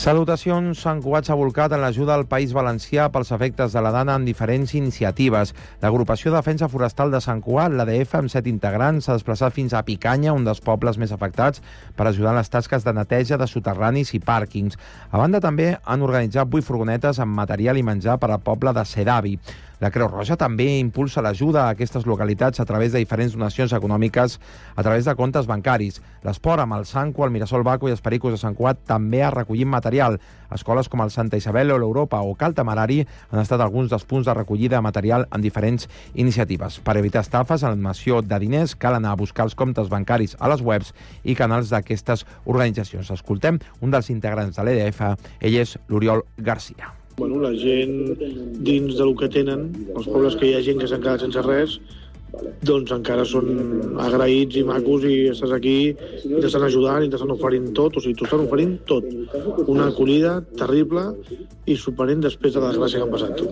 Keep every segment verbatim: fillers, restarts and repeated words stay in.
Salutacions. Sant Cugat s'ha volcat en l'ajuda al País Valencià pels efectes de la Dana en diferents iniciatives. L'Agrupació de Defensa Forestal de Sant Cugat, l'A D F, amb set integrants, s'ha desplaçat fins a Picanya, un dels pobles més afectats, per ajudar en les tasques de neteja de soterranis i pàrquings. A banda, també han organitzat vuit furgonetes amb material i menjar per al poble de Sedavi. La Creu Roja també impulsa l'ajuda a aquestes localitats a través de diferents donacions econòmiques a través de comptes bancaris. L'esport amb el Sanco, el Mirasol Baco i els Pericos de Sant Cugat també ha recollit material. Escoles com el Santa Isabel o l'Europa o Cal Tamarari han estat alguns dels punts de recollida de material en diferents iniciatives. Per evitar estafes en l'admissió de diners cal anar a buscar els comptes bancaris a les webs i canals d'aquestes organitzacions. Escoltem un dels integrants de l'E D F, ell és l'Oriol Garcia. Bueno, la gent, dins del que tenen, els pobles que hi ha gent que s'han quedat sense res, doncs encara són agraïts i macos i estàs aquí i t'estan ajudant i t'estan oferint tot, o sigui, t'ho estan oferint tot. Una acollida terrible i superent després de la desgràcia que han passat.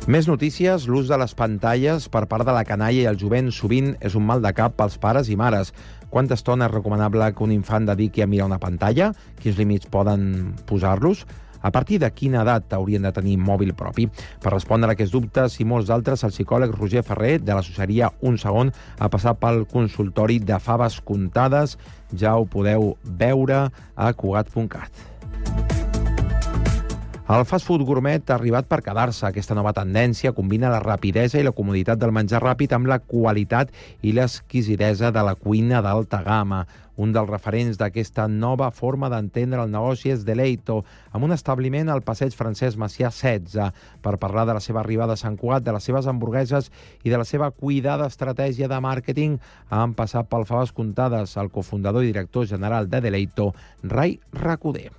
Més notícies. L'ús de les pantalles per part de la canalla i el jovent sovint és un mal de cap pels pares i mares. Quanta estona és recomanable que un infant dediqui a mirar una pantalla? Quins límits poden posar-los? A partir de quina edat haurien de tenir mòbil propi? Per respondre a aquests dubtes i molts d'altres, el psicòleg Roger Ferrer, de l'associaria Un Segon, ha passat pel consultori de faves comptades. Ja ho podeu veure a cugat punt cat. El fast food gourmet ha arribat per quedar-se. Aquesta nova tendència combina la rapidesa i la comoditat del menjar ràpid amb la qualitat i l'exquisidesa de la cuina d'alta gamma. Un dels referents d'aquesta nova forma d'entendre el negoci és Deleito, amb un establiment al passeig Francesc Macià setze, per parlar de la seva arribada a Sant Cugat, de les seves hamburgueses i de la seva cuidada estratègia de màrqueting. Han passat pel faves comptades el cofundador i director general de Deleito, Rai Recoder.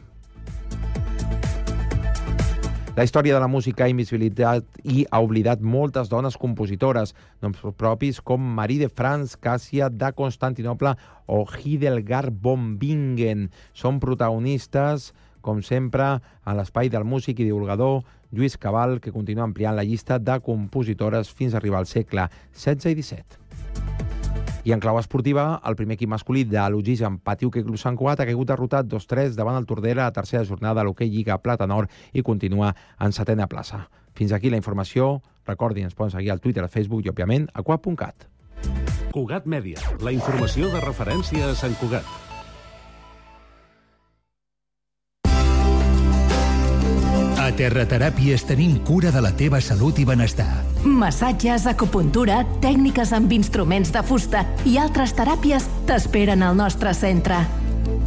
La història de la música ha invisibilitat i ha oblidat moltes dones compositores, noms propis com Marie de France, Càssia de Constantinople o Hildegard von Bingen. Són protagonistes, com sempre, a l'espai del músic i divulgador Lluís Cabal, que continua ampliant la llista de compositores fins a arribar al segle setze i disset. I en clau esportiva, el primer equip masculí de l'Oxigen Pati Hoquei Club Sant Cugat ha caigut derrotat dos tres davant el Tordera a la tercera jornada de l'Hoquei Lliga Plata Nord i continua en setena plaça. Fins aquí la informació. Recordin, ens poden seguir al Twitter, al Facebook i, òbviament, a cugat punt cat. Cugat Mèdia, la informació de referència a Sant Cugat. A Terrateràpies tenim cura de la teva salut i benestar. Massatges, acupuntura, tècniques amb instruments de fusta i altres teràpies t'esperen al nostre centre.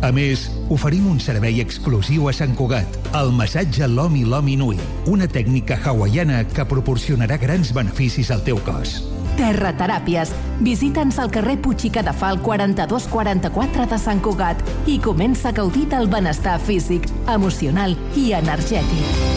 A més, oferim un servei exclusiu a Sant Cugat, el massatge Lomi Lomi Nui, una tècnica hawaiana que proporcionarà grans beneficis al teu cos. Terrateràpies. Visita'ns al carrer Puig i Cadafal quaranta-dos quaranta-quatre de Sant Cugat i comença a gaudir del benestar físic, emocional i energètic.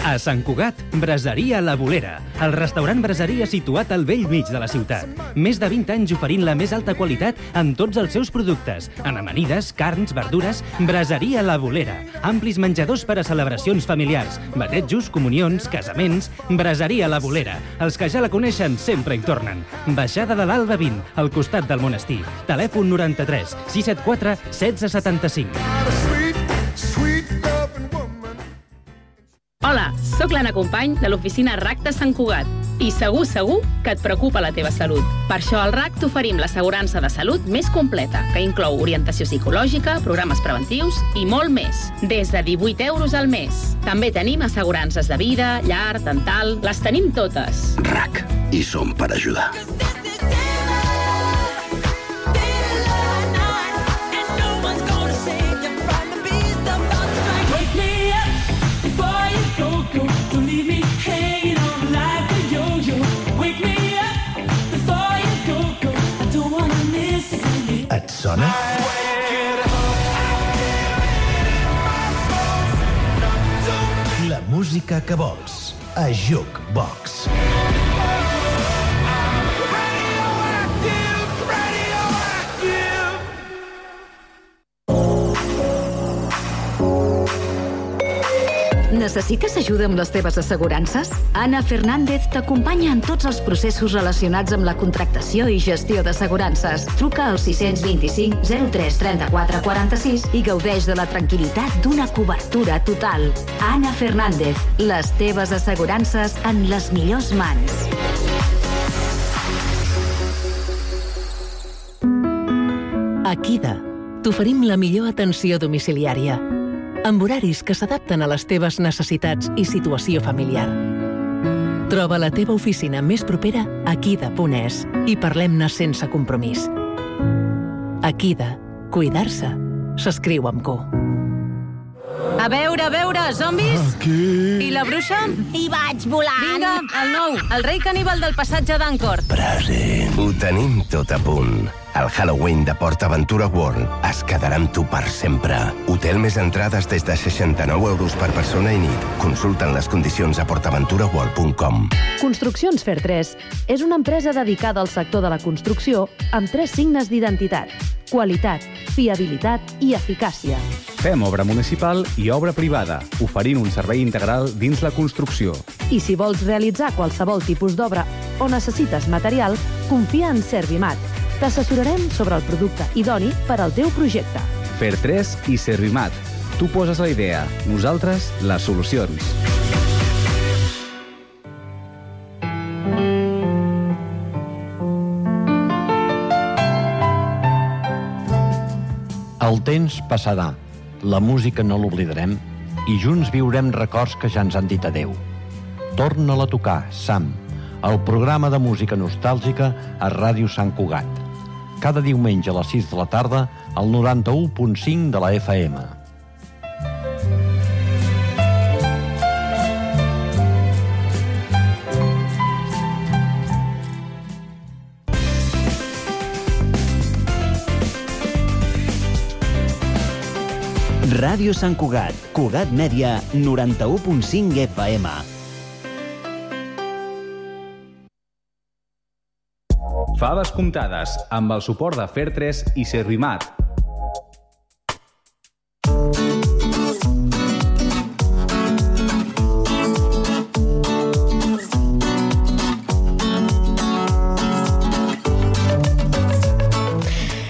A Sant Cugat, Braseria La Bolera, el restaurant braseria situat al vell mig de la ciutat. Més de vint anys oferint la més alta qualitat en tots els seus productes, en amanides, carns, verdures. Braseria La Bolera, amplis menjadors per a celebracions familiars, batejos, comunions, casaments. Braseria La Bolera, els que ja la coneixen sempre hi tornen. Baixada de l'Alba vint, al costat del monestir. Telèfon noranta-tres sis set quatre setze setanta-cinc. Hola, sóc l'Anna Company de l'oficina R A C de Sant Cugat i segur, segur que et preocupa la teva salut. Per això al R A C t'oferim l'assegurança de salut més completa, que inclou orientació psicològica, programes preventius i molt més, des de divuit euros al mes. També tenim assegurances de vida, llar, dental, les tenim totes. R A C, i som per ajudar. Et sona? La música que vols a Jukebox. Necessites ajuda amb les teves assegurances? Ana Fernández t'acompanya en tots els processos relacionats amb la contractació i gestió d'assegurances. Truca al sis dos cinc zero tres trenta-quatre quaranta-sis i gaudeix de la tranquil·litat d'una cobertura total. Ana Fernández, les teves assegurances en les millors mans. A Kida t'oferim la millor atenció domiciliària, amb horaris que s'adapten a les teves necessitats i situació familiar. Troba la teva oficina més propera a kida punt es i parlem-ne sense compromís. A Kida, cuidar-se s'escriu amb Q. A veure, a veure, zombis? Aquí. I la bruixa? Hi vaig volant. Vinga, el nou, el rei caníbal del passatge d'Ancor. Present. Ho tenim tot a punt. El Halloween de PortAventura World es quedarà amb tu per sempre. Hotel més entrades des de seixanta-nou euros per persona i nit. Consulta'n les condicions a port aventura world punt com. Construccions Fer tres és una empresa dedicada al sector de la construcció amb tres signes d'identitat: qualitat, fiabilitat i eficàcia. Fem obra municipal i obra privada, oferint un servei integral dins la construcció. I si vols realitzar qualsevol tipus d'obra o necessites material, confia en Servimat. T'assessorarem sobre el producte idoni per al teu projecte. Fer tres i Servimat. Tu poses la idea, nosaltres les solucions. El temps passarà, la música no l'oblidarem i junts viurem records que ja ens han dit adeu. Torna-la a tocar, Sam, el programa de música nostàlgica a Ràdio Sant Cugat. Cada diumenge a les sis de la tarda al noranta-u punt cinc de la F M. Ràdio Sant Cugat, Cugat Mèdia, noranta-u punt cinc F M. Faves comptades, amb el suport de Fer tres i Servimat.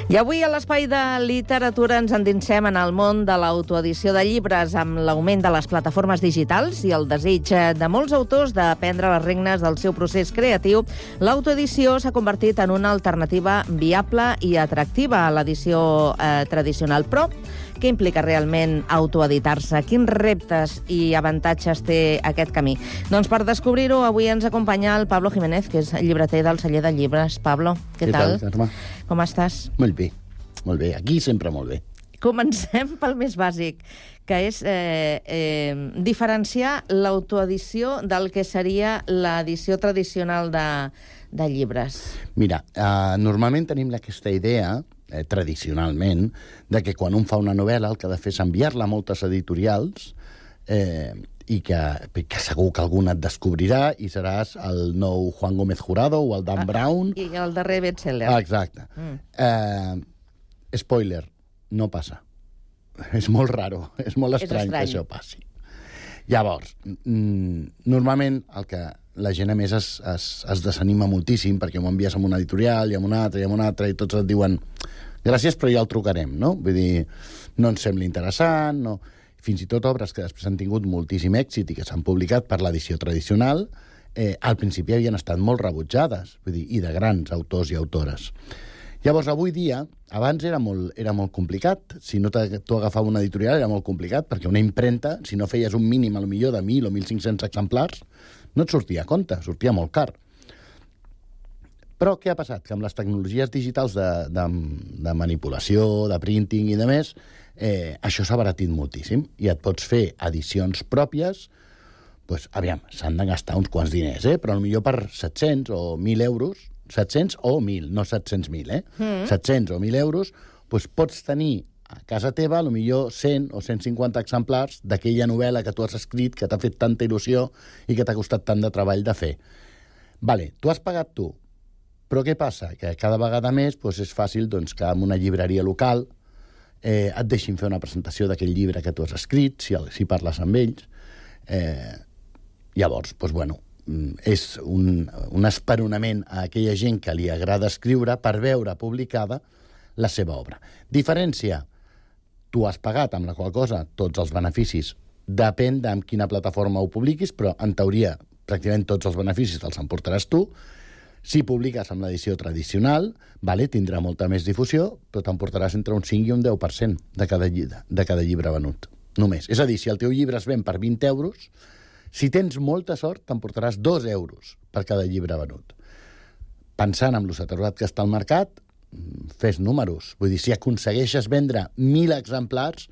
I avui a l'Espai de Literatura ens endinsem en el món de l'autoedició de llibres amb l'augment de les plataformes digitals i el desig de molts autors de prendre les regnes del seu procés creatiu. L'autoedició s'ha convertit en una alternativa viable i atractiva a l'edició eh, tradicional. Però què implica realment autoeditar-se? Quins reptes i avantatges té aquest camí? Doncs per descobrir-ho, avui ens acompanya el Pablo Jiménez, que és llibreter del Celler de Llibres. Pablo, què, què tal? tal, Carme? Com estàs? Molt bé, molt bé. Aquí sempre molt bé. Comencem pel més bàsic, que és eh, eh, diferenciar l'autoedició del que seria l'edició tradicional de, de llibres. Mira, eh, normalment tenim aquesta idea, eh, tradicionalment, de que quan un fa una novel·la el que ha de fer és enviar-la a moltes editorials eh, i que, que segur que algun et descobrirà i seràs el nou Juan Gómez Jurado o el Dan ah, Brown. I el darrer bestseller. Ah, exacte. Mm. Eh, spoiler, no passa. És molt raro, és molt estrany, és estrany que això passi. Llavors, mm, normalment el que la gent a més es, es, es desanima moltíssim perquè m'ho envies a una editorial i a una altra i a una altra i tots et diuen gràcies però ja el trucarem, no? Vull dir, no ens sembla interessant, no... Fins i tot obres que després han tingut moltíssim èxit i que s'han publicat per l'edició tradicional, eh, al principi havien estat molt rebutjades, vull dir, i de grans autors i autores. Llavors, avui dia, abans era molt, era molt complicat. Si no tu agafaves una editorial era molt complicat, perquè una impremta, si no feies un mínim, a lo millor de mil o mil cinc-cents exemplars, no et sortia a compte, sortia molt car. Però què ha passat? Que amb les tecnologies digitals de, de, de manipulació, de printing i de més, eh, això s'ha abaratit moltíssim i et pots fer edicions pròpies, doncs, aviam, s'han de gastar uns quants diners, eh? Però potser per set-cents o mil euros, set-cents o mil, no set-cents mil, eh? Mm. set-cents o mil euros, doncs pots tenir a casa teva, potser cent o cent cinquanta exemplars d'aquella novel·la que tu has escrit, que t'ha fet tanta il·lusió i que t'ha costat tant de treball de fer. Vale, tu has pagat tu, però què passa? Que cada vegada més doncs, és fàcil doncs, que en una llibreria local eh, et deixin fer una presentació d'aquell llibre que tu has escrit, si, si parles amb ells. Eh, llavors, doncs, bueno, és un, un esperonament a aquella gent que li agrada escriure per veure publicada la seva obra. Diferència, tu has pagat, amb la qual cosa tots els beneficis, depèn de quina plataforma ho publiquis, però en teoria pràcticament tots els beneficis te'ls emportaràs tu. Si publiques amb l'edició tradicional, vale, tindrà molta més difusió, però t'emportaràs entre un cinc i un deu per cent de cada, llibre, de cada llibre venut. Només. És a dir, si el teu llibre es ven per vint euros, si tens molta sort, t'emportaràs dos euros per cada llibre venut. Pensant en lo saturat que està al mercat, fes números. Vull dir, si aconsegueixes vendre mil exemplars,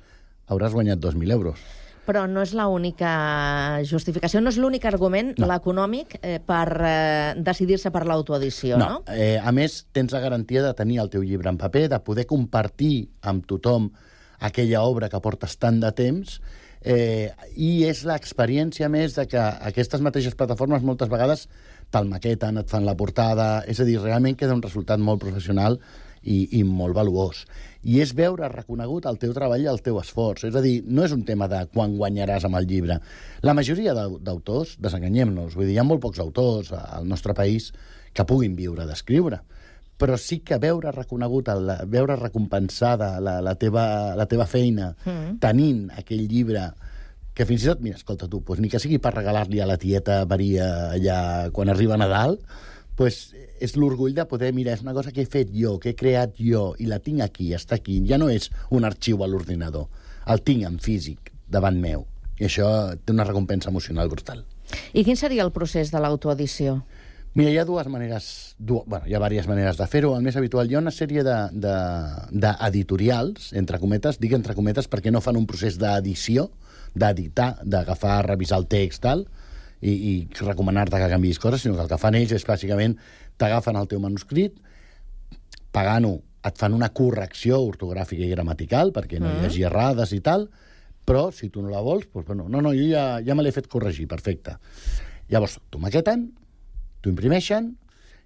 hauràs guanyat dos mil euros. Però no és l'única justificació, no és l'únic argument, no. l'econòmic, eh, per eh, decidir-se per l'autoedició, no? No. Eh, a més, tens la garantia de tenir el teu llibre en paper, de poder compartir amb tothom aquella obra que portes tant de temps, eh, i és l'experiència més de que aquestes mateixes plataformes moltes vegades te'l maqueten, et fan la portada, és a dir, realment queda un resultat molt professional i, i molt valuós. I és veure reconegut el teu treball i el teu esforç. És a dir, no és un tema de quan guanyaràs amb el llibre. La majoria d'autors, desenganyem-nos, vull dir, hi ha molt pocs autors al nostre país que puguin viure d'escriure, però sí que veure reconegut, el, veure recompensada la, la, teva, la teva feina, mm. tenint aquell llibre que fins i tot, mira, escolta tu, doncs ni que sigui per regalar-li a la tieta Maria allà quan arriba Nadal, doncs és l'orgull de poder, mira, és una cosa que he fet jo, que he creat jo, i la tinc aquí, està aquí. Ja no és un arxiu a l'ordinador. El tinc en físic, davant meu. I això té una recompensa emocional brutal. I quin seria el procés de l'autoedició? Mira, hi ha dues maneres, du... bueno, hi ha diverses maneres de fer-ho. El més habitual, hi ha una sèrie d'editorials, de, de, entre cometes, dic entre cometes perquè no fan un procés d'edició, d'editar, d'agafar, revisar el text, tal, i, i recomanar-te que canviïs coses, sinó que el que fan ells és, bàsicament, t'agafen el teu manuscrit, pagant-ho, et fan una correcció ortogràfica i gramatical, perquè no hi hagi errades i tal, però si tu no la vols, doncs, bueno, no, no, jo ja, ja me l'he fet corregir, perfecte. Llavors, t'ho maqueten, t'ho imprimeixen,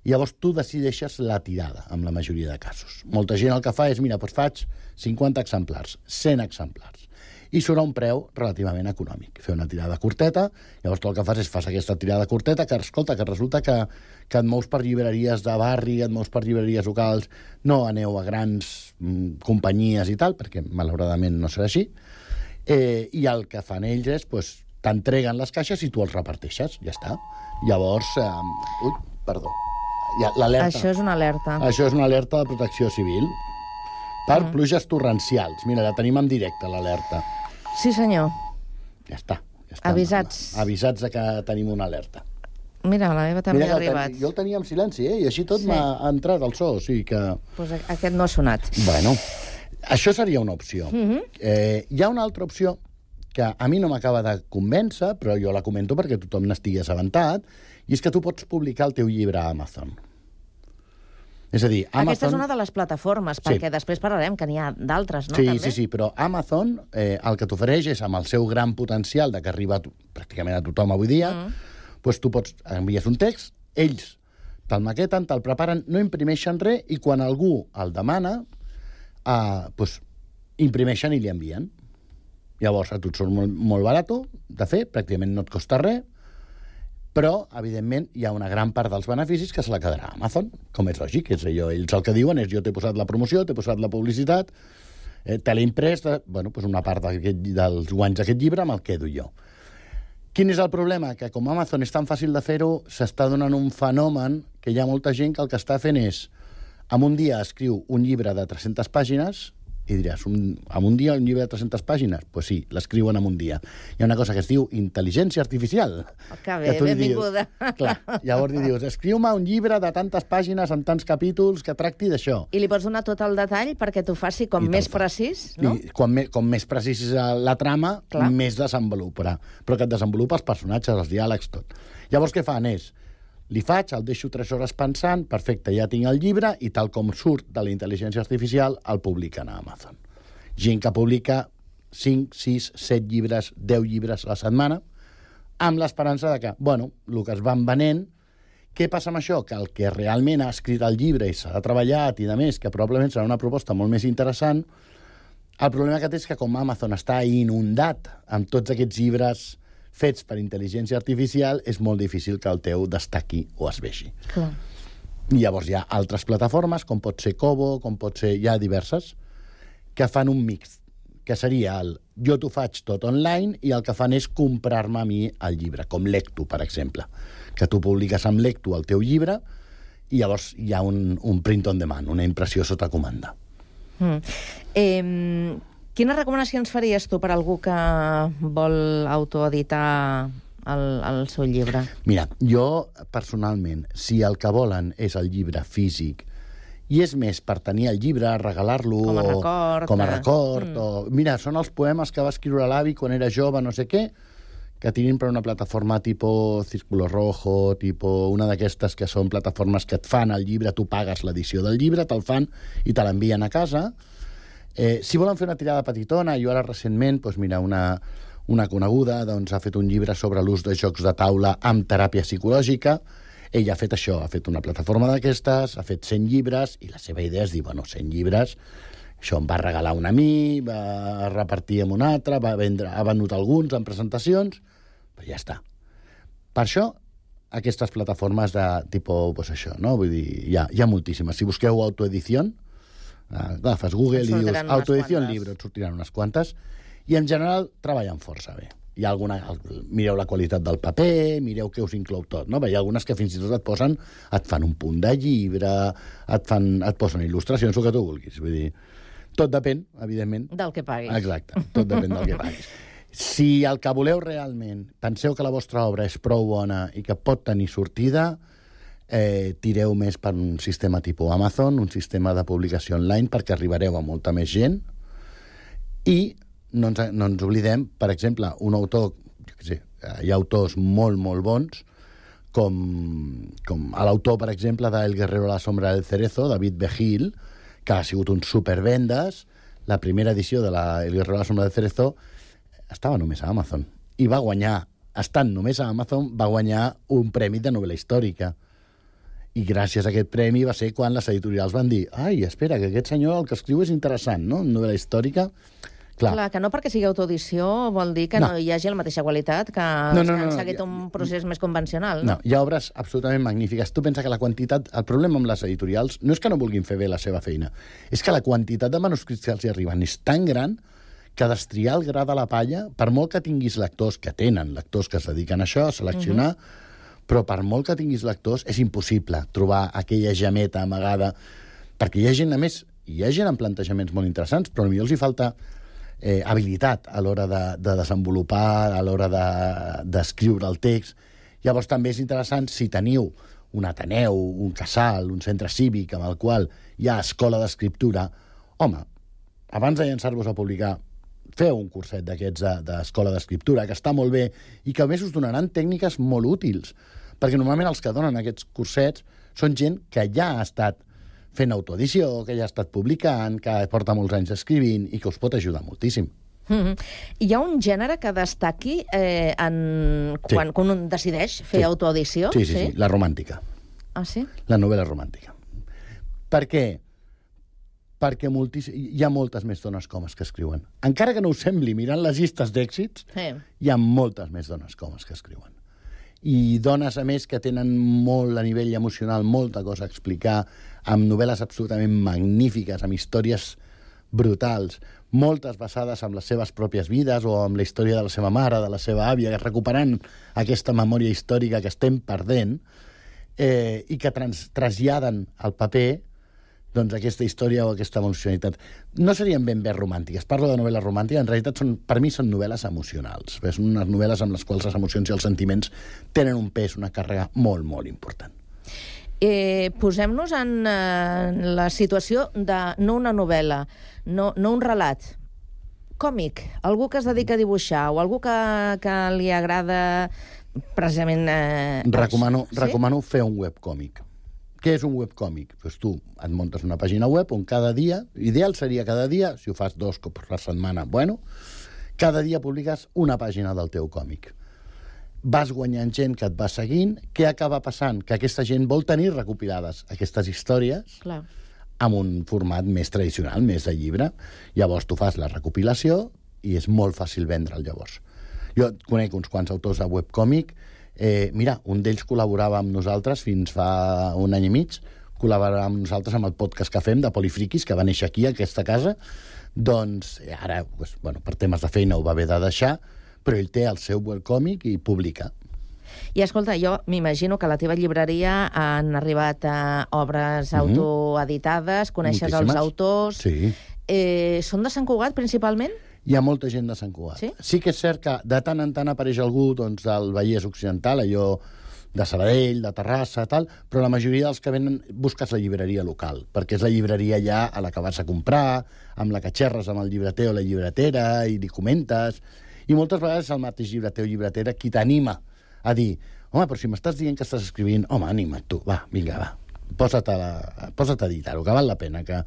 i llavors tu decideixes la tirada, amb la majoria de casos. Molta gent el que fa és, mira, doncs faig cinquanta exemplars, cent exemplars, i surt a un preu relativament econòmic. Fer una tirada curteta, llavors tu el que fas és fas aquesta tirada curteta, que escolta, que resulta que, que et mous per llibreries de barri, et mous per llibreries locals, no aneu a grans mm, companyies i tal, perquè malauradament no serà així, eh, i el que fan ells és, pues, t'entreguen les caixes i tu els reparteixes, ja està. Llavors, eh, ui, perdó, ja, l'alerta. Això és una alerta. Això és una alerta de protecció civil per mm. pluges torrencials. Mira, la tenim en directe, l'alerta. Sí, senyor. Ja està. Ja està. Avisats. Avisats de que tenim una alerta. Mira, la meva també Mira, ha arribat. Ten... Jo el tenia en silenci, eh? I així tot sí. m'ha entrat el so, o sigui que... Pues aquest no ha sonat. Bueno, això seria una opció. Mm-hmm. eh, hi ha una altra opció que a mi no m'acaba de convèncer, però jo la comento perquè tothom n'estigui assabentat, i és que tu pots publicar el teu llibre a Amazon. És a dir, Amazon... Aquesta és una de les plataformes, perquè sí. després parlarem que n'hi ha d'altres, no? Sí, també? sí, sí, però Amazon eh, el que t'ofereix és, amb el seu gran potencial de que arriba a tu, pràcticament a tothom avui dia, mm. doncs tu pots envies un text, ells te'l maqueten, te'l preparen, no imprimeixen res, i quan algú el demana, eh, doncs imprimeixen i li envien. Llavors, a tu et surt molt, molt barat de fer, pràcticament no et costa res, però, evidentment, hi ha una gran part dels beneficis que se la quedarà a Amazon, com és lògic. És allò, ells el que diuen és jo t'he posat la promoció, t'he posat la publicitat, eh, te l'he imprès, de, bueno, doncs una part dels guanys d'aquest llibre me'l quedo jo. Quin és el problema? Que com Amazon és tan fàcil de fer-ho, s'està donant un fenomen que hi ha molta gent que el que està fent és, en un dia escriu un llibre de tres-centes pàgines, i diràs, un, en un dia un llibre de tres-centes pàgines? Doncs pues sí, l'escriuen en un dia. Hi ha una cosa que es diu intel·ligència artificial. Oh, que bé, que benvinguda. Dius, clar, llavors li dius, escriu-me un llibre de tantes pàgines, amb tants capítols, que tracti d'això. I li pots donar tot el detall perquè t'ho faci com més precís, no? I com, me, com més precís és la trama, clar. Més desenvoluparà. Però que et desenvolupa els personatges, els diàlegs, tot. Llavors què fan és, li faig, el deixo tres hores pensant, perfecte, ja tinc el llibre, i tal com surt de la intel·ligència artificial, el publiquen a Amazon. Gent que publica cinc, sis, set llibres, deu llibres a la setmana, amb l'esperança de que, bueno, el que es van venent, què passa amb això? Que el que realment ha escrit el llibre i s'ha treballat i de més, que probablement serà una proposta molt més interessant, el problema que té és que com Amazon està inundat amb tots aquests llibres fets per intel·ligència artificial, és molt difícil que el teu destaqui o es vegi. Clar. I llavors hi ha altres plataformes, com pot ser Kobo, com pot ser... Hi ha diverses, que fan un mix, que seria el jo t'ho faig tot online i el que fan és comprar-me a mi el llibre, com Lectu, per exemple, que tu publiques amb Lectu el teu llibre i llavors hi ha un, un print on demand, una impressió sota comanda. Mm. Eh, quines recomanacions faries tu per a algú que vol autoeditar el, el seu llibre? Mira, jo personalment, si el que volen és el llibre físic i és més per tenir el llibre, regalar-lo... Com a record. Com a record. Mm. O, mira, són els poemes que va escriure l'avi quan era jove, no sé què, que tirin per una plataforma tipus Círculo Rojo, tipus una d'aquestes que són plataformes que et fan el llibre, tu pagues l'edició del llibre, te'l fan i te l'envien a casa. Eh, si volen fer una tirada petitona, jo ara recentment, doncs mira, una, una coneguda doncs, ha fet un llibre sobre l'ús de jocs de taula amb teràpia psicològica. Ella ha fet això, ha fet una plataforma d'aquestes, ha fet cent llibres, i la seva idea és dir, bueno, cent llibres, això em va regalar un a mi, va repartir amb un altre, va vendre, ha venut alguns en presentacions, però ja està. Per això, aquestes plataformes de tipus, pues això, no? Vull dir, hi ha, hi ha moltíssimes. Si busqueu autoedició, agafes Google i dius autoedició en llibre, et sortiran unes quantes, i en general treballen força bé. Hi ha alguna... Mireu la qualitat del paper, mireu què us inclou tot, no? Hi ha algunes que fins i tot et posen, et fan un punt de llibre, et, fan, et posen il·lustracions, el que tu vulguis. Vull dir, tot depèn, evidentment... Del que paguis. Exacte, tot depèn del que paguis. Si el que voleu realment, penseu que la vostra obra és prou bona i que pot tenir sortida, eh, tireu més per un sistema tipus Amazon, un sistema de publicació online, perquè arribareu a molta més gent, i no ens, no ens oblidem, per exemple, un autor, jo què sé, hi ha autors molt, molt bons, com, com l'autor, per exemple, de El guerrero a la sombra del cerezo, David Begil, que ha sigut un supervendes. La primera edició de la El guerrero a la sombra del cerezo estava només a Amazon. I va guanyar, estant només a Amazon, va guanyar un premi de novel·la històrica. I gràcies a aquest premi va ser quan les editorials van dir ai, espera, que aquest senyor el que escriu és interessant, no? Novel·la històrica. Clar. Clar, que no perquè sigui autoedició vol dir que no, no hi hagi la mateixa qualitat que no, els no, que han no, seguit no, un procés més convencional. No? No, hi ha obres absolutament magnífiques. Tu pensa que la quantitat... El problema amb les editorials no és que no vulguin fer bé la seva feina, és que la quantitat de manuscrits que els hi arriben és tan gran que destriar el gra de la palla, per molt que tinguis lectors, que tenen lectors que es dediquen a això, a seleccionar, uh-huh. però per molt que tinguis lectors és impossible trobar aquella gemeta amagada, perquè hi ha gent, a més, hi ha gent amb plantejaments molt interessants, però potser els hi falta eh, habilitat a l'hora de, de desenvolupar, a l'hora d'escriure de, el text. Llavors també és interessant si teniu un Ateneu, un casal, un centre cívic amb el qual hi ha escola d'escriptura, home, abans de llançar-vos a publicar, feu un curset d'aquests d'escola d'escriptura, que està molt bé i que a més us donaran tècniques molt útils, perquè normalment els que donen aquests cursets són gent que ja ha estat fent autoedició, que ja ha estat publicant, que porta molts anys escrivint i que us pot ajudar moltíssim. Mm-hmm. Hi ha un gènere que destaqui eh, en... quan, sí. quan un decideix fer sí. autoedició? Sí, sí, sí, sí, la romàntica. Ah, sí? La novel·la romàntica. Per què? Perquè moltis... hi ha moltes més dones comes que escriuen. Encara que no us sembli, mirant les llistes d'èxits, sí. hi ha moltes més dones comes que escriuen. I dones, a més, que tenen molt a nivell emocional, molta cosa a explicar, amb novel·les absolutament magnífiques, amb històries brutals, moltes basades en les seves pròpies vides o amb la història de la seva mare, de la seva àvia, recuperant aquesta memòria històrica que estem perdent eh, i que trans traslladen al paper doncs aquesta història o aquesta emocionalitat. No serien ben bé romàntiques. Parlo de novel·la romàntica, en realitat són, per mi són novel·les emocionals. Són unes novel·les amb les quals les emocions i els sentiments tenen un pes, una càrrega molt, molt important. Eh, Posem-nos en eh, la situació de no una novel·la, no, no un relat, còmic, algú que es dedica a dibuixar o algú que, que li agrada precisament... Eh, recomano, sí? recomano fer un webcòmic. Què és un webcòmic? Pues tu et muntes una pàgina web on cada dia, ideal seria cada dia, si ho fas dos cops per setmana, bueno, cada dia publiques una pàgina del teu còmic. Vas guanyant gent que et va seguint, què acaba passant? Que aquesta gent vol tenir recopilades aquestes històries Clar. amb un format més tradicional, més de llibre. Llavors tu fas la recopilació i és molt fàcil vendre'l llavors. Jo conec uns quants autors de webcòmic. Eh, mira, un d'ells col·laborava amb nosaltres fins fa un any i mig, col·laborava amb nosaltres amb el podcast que fem de Polifriquis, que va néixer aquí, a aquesta casa. Doncs ara, pues, bueno, per temes de feina ho va haver de deixar, però ell té el seu webcòmic i publica. I escolta, jo m'imagino que a la teva llibreria han arribat a obres mm-hmm. autoeditades, coneixes Moltíssimes. Els autors... Sí. Eh, són de Sant Cugat, principalment? Hi ha molta gent de Sant Cugat. Sí? Sí que és cert que de tant en tant apareix algú doncs, del Vallès Occidental, allò de Sabadell, de Terrassa, tal, però la majoria dels que venen busques la llibreria local, perquè és la llibreria ja a la que vas a comprar, amb la que xerres amb el llibreter o la llibretera i li comentes, i moltes vegades és el mateix llibreter o llibretera qui t'anima a dir, home, però si m'estàs dient que estàs escrivint, home, anima't tu, va, vinga, va, posa't a, la, posa't a editar-ho, que val la pena. Que...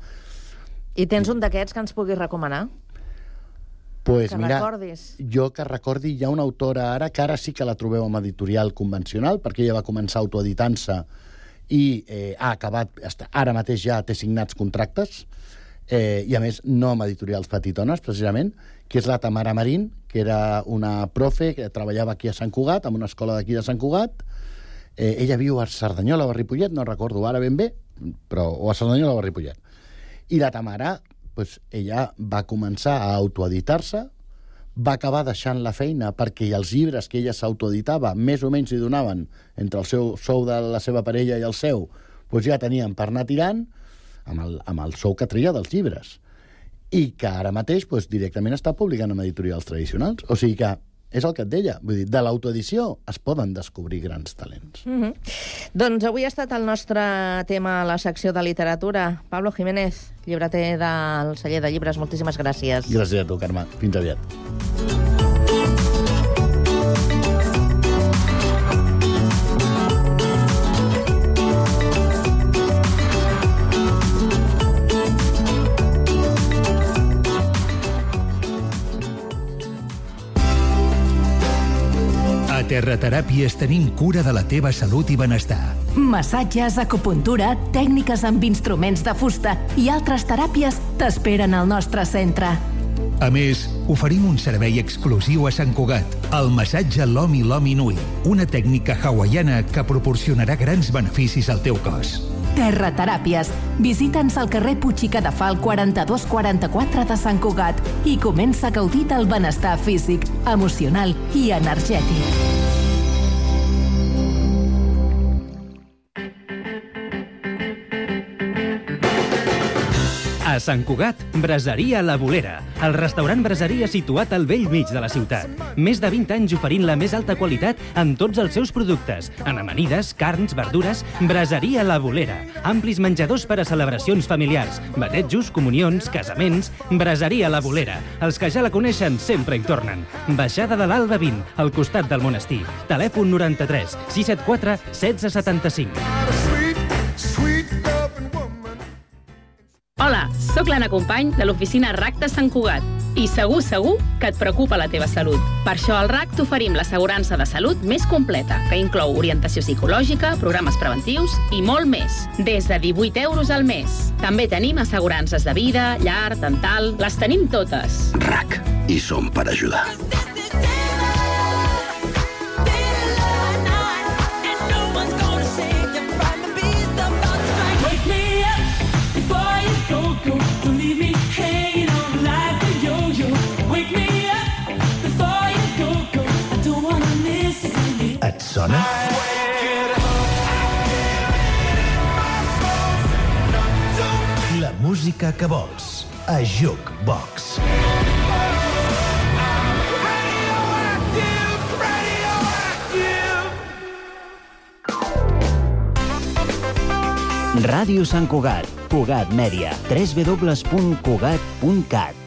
I tens un d'aquests que ens puguis recomanar? Pues que mira, recordis. Jo que recordi, hi ha una autora ara, que ara sí que la trobeu amb editorial convencional, perquè ella va començar autoeditant-se i eh, ha acabat, ara mateix ja té signats contractes, eh, i a més no amb editorials petitones, precisament, que és la Tamara Marín, que era una profe que treballava aquí a Sant Cugat, en una escola d'aquí de Sant Cugat. Eh, ella viu a Cerdanyola o a Ripollet, no recordo ara ben bé, però o a Cerdanyola o a Ripollet. I la Tamara, pues, ella va començar a autoeditar-se, va acabar deixant la feina perquè els llibres que ella s'autoeditava més o menys li donaven entre el seu sou de la seva parella i el seu, pues ja tenien per anar tirant amb el, amb el sou que treia dels llibres. I que ara mateix pues, directament està publicant amb editorials tradicionals. O sigui que és el que et deia. Vull dir, de l'autoedició es poden descobrir grans talents. Mm-hmm. Doncs avui ha estat el nostre tema a la secció de literatura. Pablo Jiménez, llibreter del Celler de Llibres, moltíssimes gràcies. Gràcies a tu, Carme. Fins aviat. A Terrateràpies tenim cura de la teva salut i benestar. Massatges, acupuntura, tècniques amb instruments de fusta i altres teràpies t'esperen al nostre centre. A més, oferim un servei exclusiu a Sant Cugat, el massatge Lomi Lomi Nui, una tècnica hawaiana que proporcionarà grans beneficis al teu cos. Terrateràpies. Visita'ns al carrer Puig i Cadafal quaranta-dos quaranta-quatre de Sant Cugat i comença a gaudir del benestar físic, emocional i energètic. A Sant Cugat, Braseria La Bolera, el restaurant braseria situat al vell mig de la ciutat. Més de vint anys oferint la més alta qualitat en tots els seus productes. En amanides, carns, verdures, Braseria La Bolera. Amplis menjadors per a celebracions familiars, batejos, comunions, casaments. Braseria La Bolera. Els que ja la coneixen sempre hi tornen. Baixada de l'Alba vint, al costat del monestir. Telèfon noranta-tres sis set quatre setze setanta-cinc. Hola, sóc l'Anna Company de l'oficina R A C de Sant Cugat i segur, segur que et preocupa la teva salut. Per això al R A C t'oferim l'assegurança de salut més completa, que inclou orientació psicològica, programes preventius i molt més, des de divuit euros al mes. També tenim assegurances de vida, llar, dental, les tenim totes. R A C, i som per ajudar. Et sona? La música que vols a Jukebox. Ràdio Sant Cugat, Cugat Mèdia, w w w punt cugat punt cat.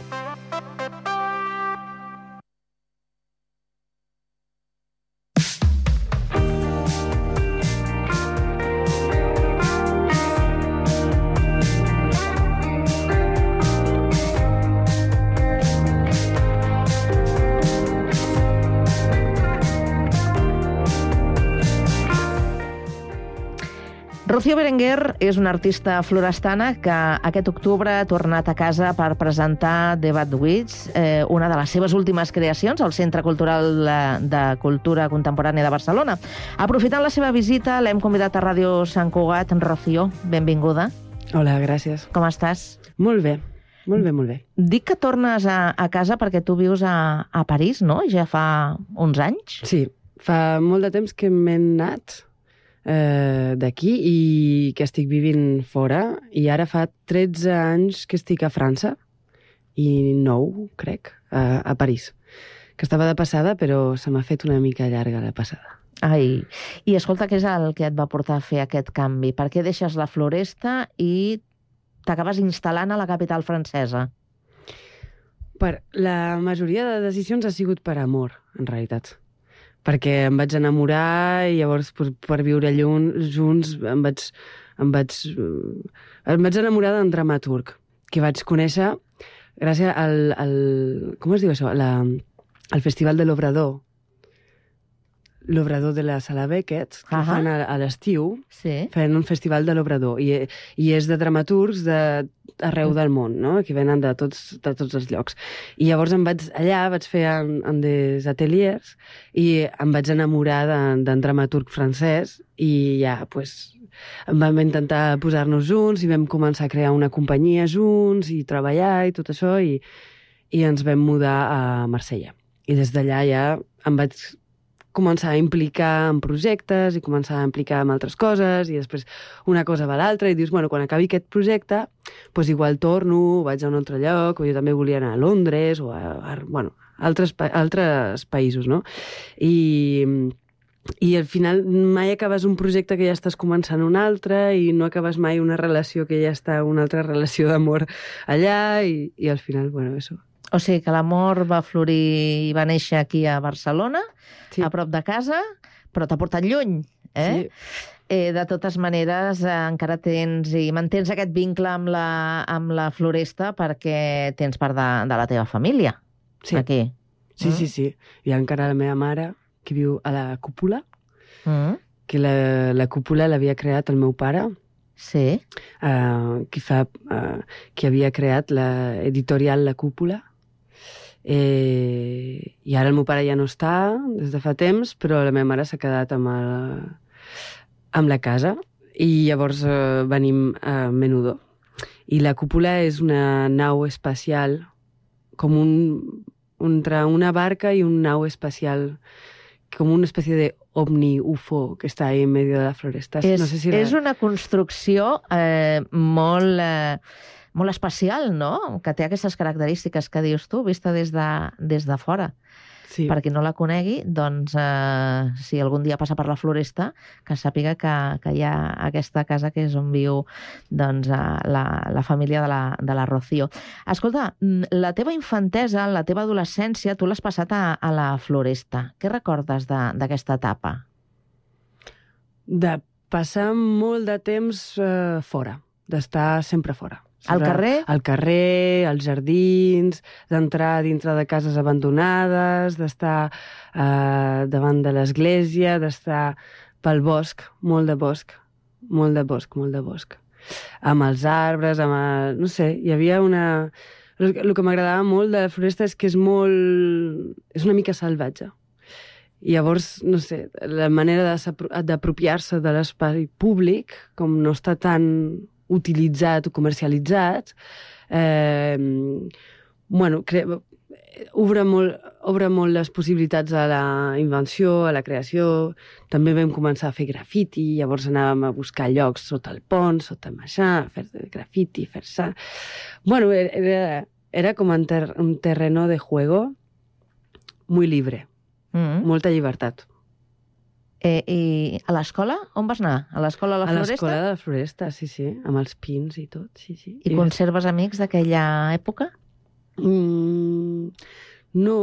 Rocío Berenguer és una artista florestana que aquest octubre ha tornat a casa per presentar The Bad Witch, eh, una de les seves últimes creacions al Centre Cultural de Cultura Contemporània de Barcelona. Aprofitant la seva visita, l'hem convidat a Ràdio Sant Cugat. Rocío, benvinguda. Hola, gràcies. Com estàs? Molt bé, molt bé, molt bé. Dic que tornes a, a casa perquè tu vius a, a París, no? Ja fa uns anys? Sí, fa molt de temps que m'he anat eh, d'aquí i que estic vivint fora, i ara fa tretze anys que estic a França, i nou, crec, a, a París, que estava de passada, però se m'ha fet una mica llarga la passada. Ai, i escolta, què és el que et va portar a fer aquest canvi? Per què deixes la floresta i t'acabes instal·lant a la capital francesa? Per la majoria de decisions ha sigut per amor, en realitat. Perquè em vaig enamorar i llavors per, per viure junts, junts em vaig, em vaig, em vaig enamorar d'un dramaturg que vaig conèixer gràcies al, al com es diu això? La, al Festival de l'Obrador. L'Obrador de la Sala Beckett, que uh -huh. fan a, a l'estiu, sí. Fan un festival de l'Obrador, i, i és de dramaturgs d'arreu del món, no? Que venen de tots, de tots els llocs. I llavors em vaig allà, vaig fer en, en des ateliers, i em vaig enamorar d'un dramaturg francès, i ja, pues, vam intentar posar-nos junts, i vam començar a crear una companyia junts, i treballar, i tot això, i, i ens vam mudar a Marsella. I des d'allà ja em vaig començar a implicar en projectes i començar a implicar en altres coses, i després una cosa va a l'altra, i dius, bueno, quan acabi aquest projecte, doncs igual torno, vaig a un altre lloc, o jo també volia anar a Londres, o a, a bueno, altres, altres països, no? I, i al final mai acabes un projecte que ja estàs començant un altre, i no acabes mai una relació que ja està, una altra relació d'amor allà, i, i al final, bueno, això. O sigui que l'amor va florir i va néixer aquí a Barcelona, sí. A prop de casa, però t'ha portat lluny, eh? Sí. Eh, de totes maneres, eh, encara tens i mantens aquest vincle amb la, amb la floresta perquè tens part de, de la teva família, sí. Aquí. Sí, mm? sí, sí. Hi ha encara la meva mare, que viu a la cúpula, mm? que la, la cúpula l'havia creat el meu pare, sí. uh, que, fa, uh, que havia creat l'editorial La Cúpula. Eh, I ara el meu pare ja no està des de fa temps, però la meva mare s'ha quedat amb, el, amb la casa, i llavors eh, venim a Menudo. I la cúpula és una nau espacial, com un, entre una barca i un nau espacial, com una espècie de ovni-U F O que està ahí en medio de la floresta. És, no sé si la... és una construcció eh, molt... Eh... molt especial, no? Que té aquestes característiques que dius tu, vista des de, des de fora. Sí. Per qui no la conegui, doncs, eh, si algun dia passa per la floresta, que sàpiga que, que hi ha aquesta casa que és on viu doncs, la, la família de la, de la Rocío. Escolta, la teva infantesa, la teva adolescència, tu l'has passat a, a la floresta. Què recordes d'aquesta etapa? De passar molt de temps eh, fora, d'estar sempre fora. Al carrer? Al carrer, als jardins, d'entrar dintre de cases abandonades, d'estar eh, davant de l'església, d'estar pel bosc, molt de bosc, molt de bosc, molt de bosc. Amb els arbres, amb el... no sé, hi havia una... El que m'agradava molt de la floresta és que és molt... és una mica salvatge. I llavors, no sé, la manera d'apropiar-se de l'espai públic, com no està tan utilitzat o comercialitzat, eh, bueno, cre... obre, molt, obre molt les possibilitats a la invenció, a la creació. També vam començar a fer grafiti, llavors anàvem a buscar llocs sota el pont, sota el maixà, a fer grafiti, fer-se... Bueno, era, era com un, ter un terreno de juego muy libre, mm-hmm. Molta llibertat. Eh, I a l'escola? On vas anar? A l'escola de la Floresta? A l'escola de la Floresta, sí, sí, amb els pins i tot, sí, sí. I, I conserves amics d'aquella època? Mm, no,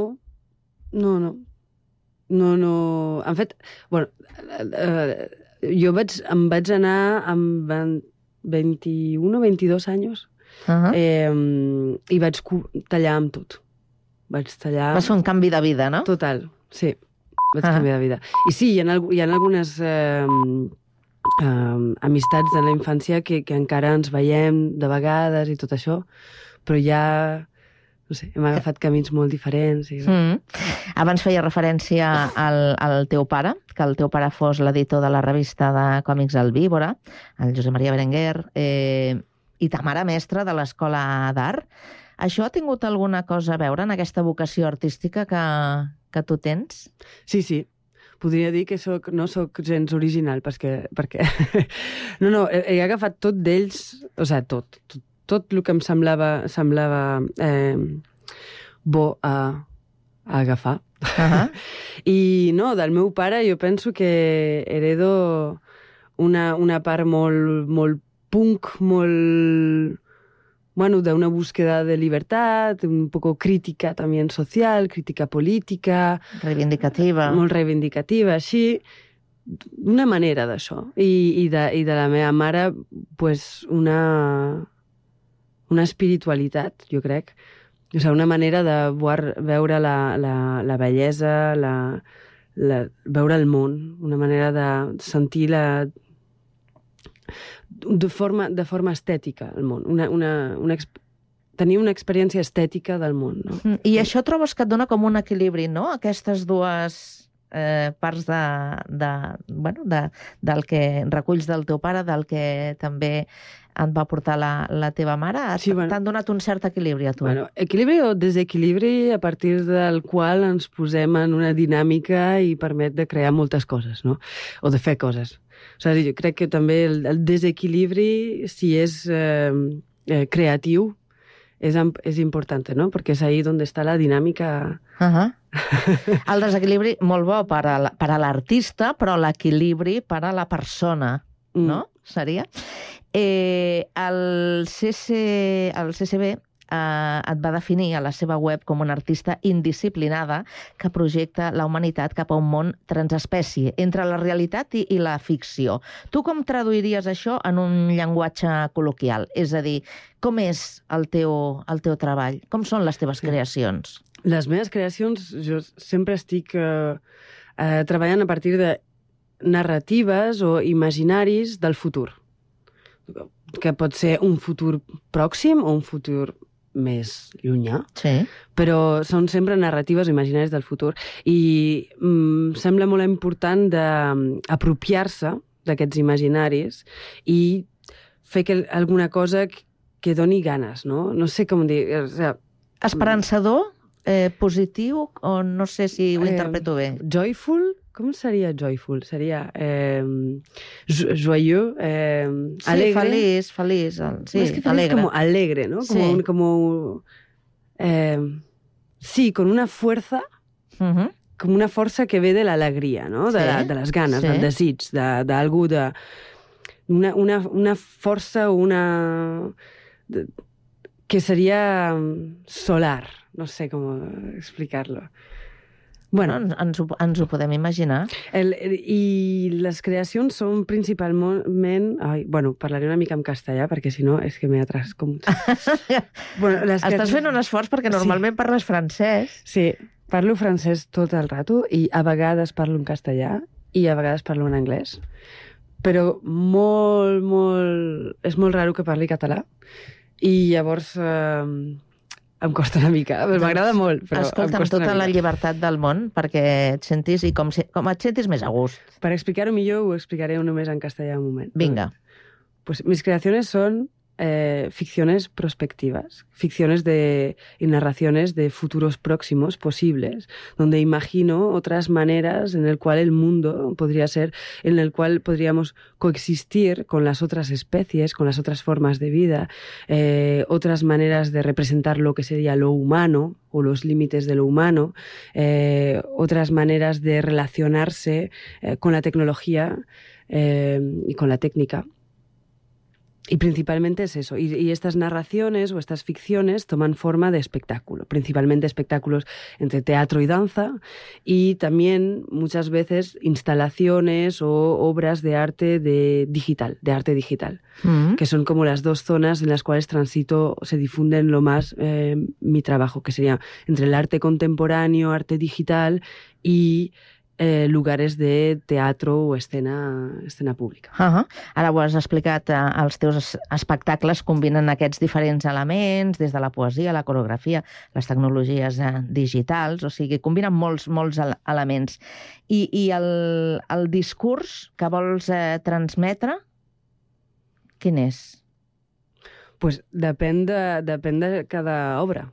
no, no. No, no... En fet, bueno, eh, jo vaig, em vaig anar amb vint-i-un o vint-i-dos anys uh-huh. eh, i vaig tallar amb tot. Vaig tallar... Va ser un canvi de vida, no? Total, sí. Vaig uh-huh. canviar de vida. I sí, hi ha, hi ha algunes... Eh, uh, amistats de la infància que, que encara ens veiem de vegades i tot això, però ja, no sé, hem agafat camins molt diferents. I... Mm. Abans feia referència al, al teu pare, que el teu pare fos l'editor de la revista de còmics El Víbora, el Josep Maria Berenguer, eh, i ta mare mestra de l'Escola d'Art. Això ha tingut alguna cosa a veure en aquesta vocació artística que, que tu tens? Sí, sí. Podria dir que soc, no soc gens original, perquè... perquè... no, no, he, he agafat tot d'ells, o sigui, tot, tot, tot el que em semblava, semblava eh, bo a, a agafar. Uh-huh. I no, del meu pare jo penso que heredo una, una part molt, molt punk, molt... Bueno, de una búsqueda de libertad, un poco crítica también social, crítica política... Reivindicativa. Molt reivindicativa, així, una manera d'això. I, i, de, I de la meva mare, pues, una, una espiritualitat, jo crec. O sigui, una manera de veure la, la, la bellesa, la, la, veure el món, una manera de sentir la... De forma, de forma estètica, el món. Una, una, una, tenir una experiència estètica del món. No? Mm, I això trobes que et dona com un equilibri, no? Aquestes dues eh, parts de, de, bueno, de, del que reculls del teu pare, del que també et va portar la, la teva mare. Sí, bueno, t'han donat un cert equilibri a tu. Bueno, equilibri o desequilibri a partir del qual ens posem en una dinàmica i permet de crear moltes coses, no? O de fer coses. O sigui, jo crec que també el, el desequilibri, si és eh, eh, creatiu, és, és important, no? Perquè és ahí on està la dinàmica. Uh-huh. El desequilibri, molt bo per a l'artista, però l'equilibri per a la persona, mm. no? Seria. Eh, el, C C, el C C B eh, et va definir a la seva web com una artista indisciplinada que projecta la humanitat cap a un món transespècie, entre la realitat i, i la ficció. Tu com traduiries això en un llenguatge col·loquial? És a dir, com és el teu, el teu treball? Com són les teves creacions? Les meves creacions, jo sempre estic eh, eh, treballant a partir de narratives o imaginaris del futur, que pot ser un futur pròxim o un futur més llunyà, sí. Però són sempre narratives o imaginaris del futur i mm, sembla molt important d'apropiar-se d'aquests imaginaris i fer que, alguna cosa que, que doni ganes, no? No sé com dir... O sigui, esperançador, eh, positiu, o no sé si ho interpreto bé. Eh, joyful? Com seria joyful? Seria eh, joyeux, eh, sí, alegre. feliç, feliç. Sí, es que feliz alegre. Como alegre, ¿no? Como, sí. un, como eh, sí, con una fuerza, uh-huh. com una força que ve de l'alegria, no? De, sí. la, de les ganes, sí. Del desig, d'algú, de, de una, una, una força, una... De, que seria solar, no sé com explicar-lo. Bueno, ens ho, ens ho podem imaginar. El, I les creacions són principalment... Ai, bueno, parlaré una mica en castellà, perquè si no és que m'he atrascat molt. Bueno, les Estàs fent un esforç perquè normalment sí. Parles francès. Sí, parlo francès tot el rato i a vegades parlo en castellà i a vegades parlo en anglès. Però molt, molt... És molt raro que parli català. I llavors... Eh, em costa una mica, doncs, m'agrada molt, però escolta, amb tota la llibertat del món, perquè et sentis i com, com et sentis més a gust. Per explicar-ho millor, ho explicaré només en castellà un moment. Vinga. Pues mis creaciones son eh, ficciones prospectivas, ficciones de, y narraciones de futuros próximos posibles, donde imagino otras maneras en el cual el mundo podría ser, en el cual podríamos coexistir con las otras especies, con las otras formas de vida, eh, otras maneras de representar lo que sería lo humano o los límites de lo humano, eh, otras maneras de relacionarse eh, con la tecnología eh, y con la técnica. Y principalmente es eso. Y, y estas narraciones o estas ficciones toman forma de espectáculo, principalmente espectáculos entre teatro y danza, y también muchas veces instalaciones o obras de arte de digital, de arte digital, mm. que son como las dos zonas en las cuales transito, se difunden lo más eh, mi trabajo, que sería entre el arte contemporáneo, arte digital y eh, lugares de teatro o escena, escena pública. Uh-huh. Ara ho has explicat, eh, els teus espectacles combinen aquests diferents elements, des de la poesia, la coreografia, les tecnologies eh, digitals, o sigui, combinen molts, molts elements. I, i el, el discurs que vols eh, transmetre, quin és? Pues depèn de, depèn de cada obra.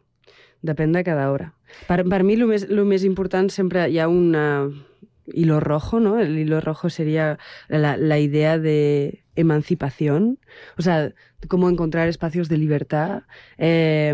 Depèn de cada obra. Per, per mi, el més, lo més important sempre hi ha una hilo rojo, ¿no? El hilo rojo sería la, la idea de emancipación, o sea, cómo encontrar espacios de libertad, eh,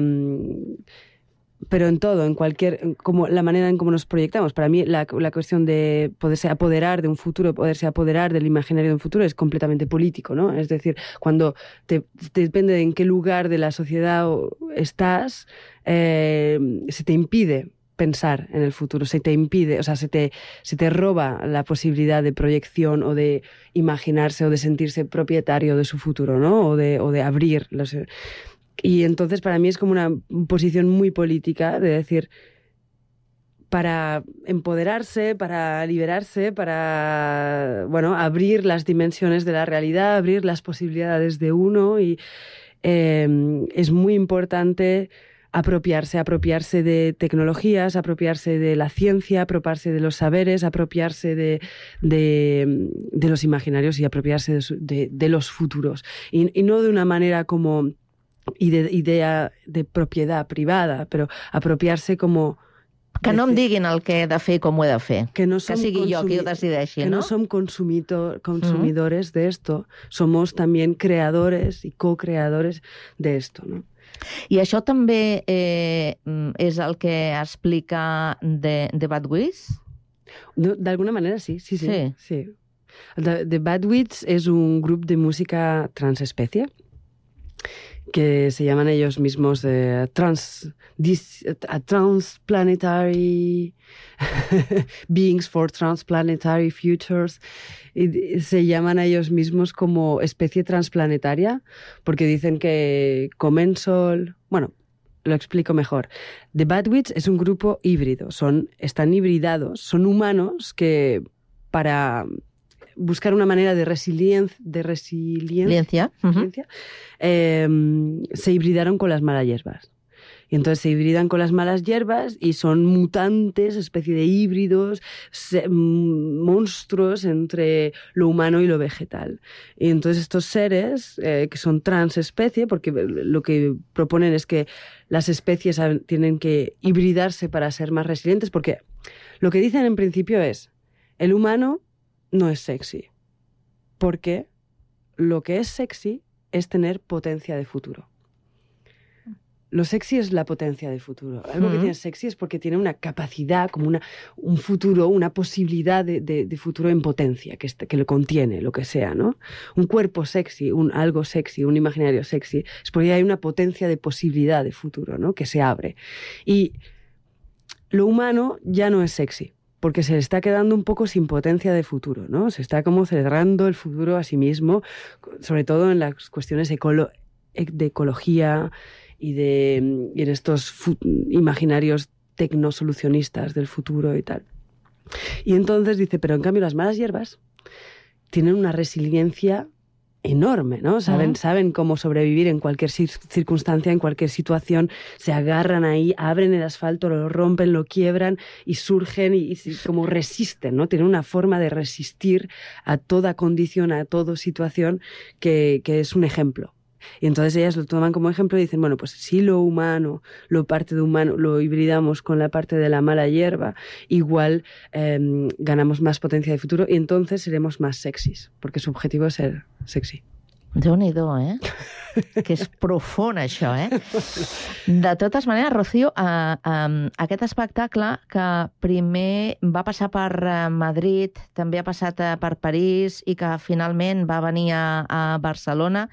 pero en todo, en cualquier, como la manera en cómo nos proyectamos. Para mí la, la cuestión de poderse apoderar de un futuro, poderse apoderar del imaginario de un futuro es completamente político, ¿no? Es decir, cuando te, te depende de en qué lugar de la sociedad estás, eh, se te impide pensar en el futuro, se te impide, o sea, se te, se te roba la posibilidad de proyección o de imaginarse o de sentirse propietario de su futuro, ¿no? O de, o de abrir los... Y entonces para mí es como una posición muy política de decir, para empoderarse, para liberarse, para, bueno, abrir las dimensiones de la realidad, abrir las posibilidades de uno, y eh, es muy importante apropiarse, apropiarse de tecnologías, apropiarse de la ciencia, apropiarse de los saberes, apropiarse de, de, de los imaginarios y apropiarse de, de, de los futuros. Y, y no de una manera como idea de propiedad privada, però apropiar-se com... Que no em diguin el que he de fer i com ho he de fer. Que, no que sigui jo qui ho decideixi, que ¿no? Que no som consumidor, consumidores mm. de esto, somos también creadores y co-creadores de esto, ¿no? I això també eh, és el que explica The, The Bad Wits? No, d'alguna manera sí, sí, sí. sí. sí. The, The Bad Wits és un grup de música transespecie que se llaman ellos mismos eh, trans, dis, uh, transplanetary beings for transplanetary futures, y se llaman a ellos mismos como especie transplanetaria porque dicen que comen sol. Bueno, lo explico mejor. The Bad Wits es un grupo híbrido, son, están hibridados, son humanos que para buscar una manera de resiliencia, de resiliencia, uh-huh. eh, se hibridaron con las malas hierbas. Y entonces se hibridan con las malas hierbas y son mutantes, especie de híbridos, se, monstruos entre lo humano y lo vegetal. Y entonces estos seres, eh, que son transespecie, porque lo que proponen es que las especies tienen que hibridarse para ser más resilientes, porque lo que dicen en principio es, el humano no es sexy, porque lo que es sexy es tener potencia de futuro. Lo sexy es la potencia de futuro. Algo uh-huh. que tiene sexy es porque tiene una capacidad, como una, un futuro, una posibilidad de, de, de futuro en potencia, que, este, que lo contiene, lo que sea, ¿no? Un cuerpo sexy, un, algo sexy, un imaginario sexy, es porque hay una potencia de posibilidad de futuro, ¿no? Que se abre. Y lo humano ya no es sexy, porque se le está quedando un poco sin potencia de futuro, ¿no? Se está como cerrando el futuro a sí mismo, sobre todo en las cuestiones ecolo- de ecología y, de, y en estos fu- imaginarios tecnosolucionistas del futuro y tal. Y entonces dice, pero en cambio las malas hierbas tienen una resiliencia enorme, ¿no? Saben, uh-huh. saben cómo sobrevivir en cualquier circunstancia, en cualquier situación, se agarran ahí, abren el asfalto, lo rompen, lo quiebran y surgen y, y como resisten, ¿no? Tienen una forma de resistir a toda condición, a toda situación que, que es un ejemplo. Y entonces ellas lo toman como ejemplo y dicen, bueno, pues si lo humano, lo parte de humano, lo hibridamos con la parte de la mala hierba, igual eh, ganamos más potencia de futuro y entonces seremos más sexys, porque su objetivo es ser sexy. Déu-n'hi-do, eh? Que és profund, això, eh? De totes maneres, Rocío, eh, eh, aquest espectacle que primer va passar per Madrid, també ha passat per París i que finalment va venir a, a Barcelona,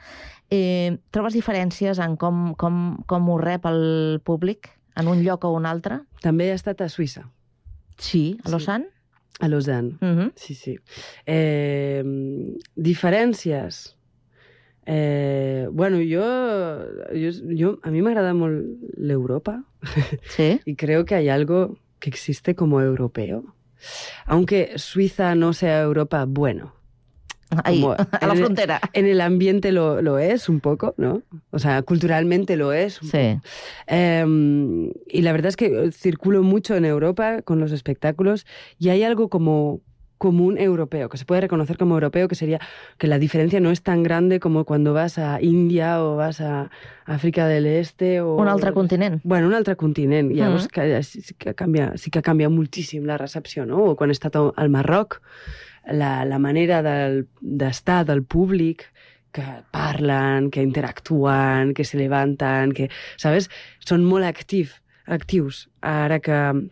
eh, trobes diferències en com, com, com ho rep el públic en un lloc o un altre? També he estat a Suïssa. Sí, a Lausanne? Sí. A Lausanne, uh-huh. sí, sí. Eh, diferències... Eh, bueno, yo, yo, yo a mí me agrada molt l'Europa. Sí. Y creo que hay algo que existe como europeo. aunque Suiza no sea Europa, bueno. Ahí, como a la frontera. En el ambiente lo, lo es un poco, ¿no? O sea, culturalmente lo es. Sí. Eh, y la verdad es que circulo mucho en Europa con los espectáculos y hay algo como común europeo, que se puede reconocer como europeo, que sería que la diferencia no es tan grande como cuando vas a India o vas a Àfrica del Este o... Un altre continent. Bueno, un altre continent. Mm. Llavors, que, sí, que canvia, sí que canvia moltíssim la recepció, no? O quan he estat al Marroc, la, la manera del, d'estar del públic, que parlen, que interactuen, que se levanten, que, sabes? Són molt actius, actius. Ara que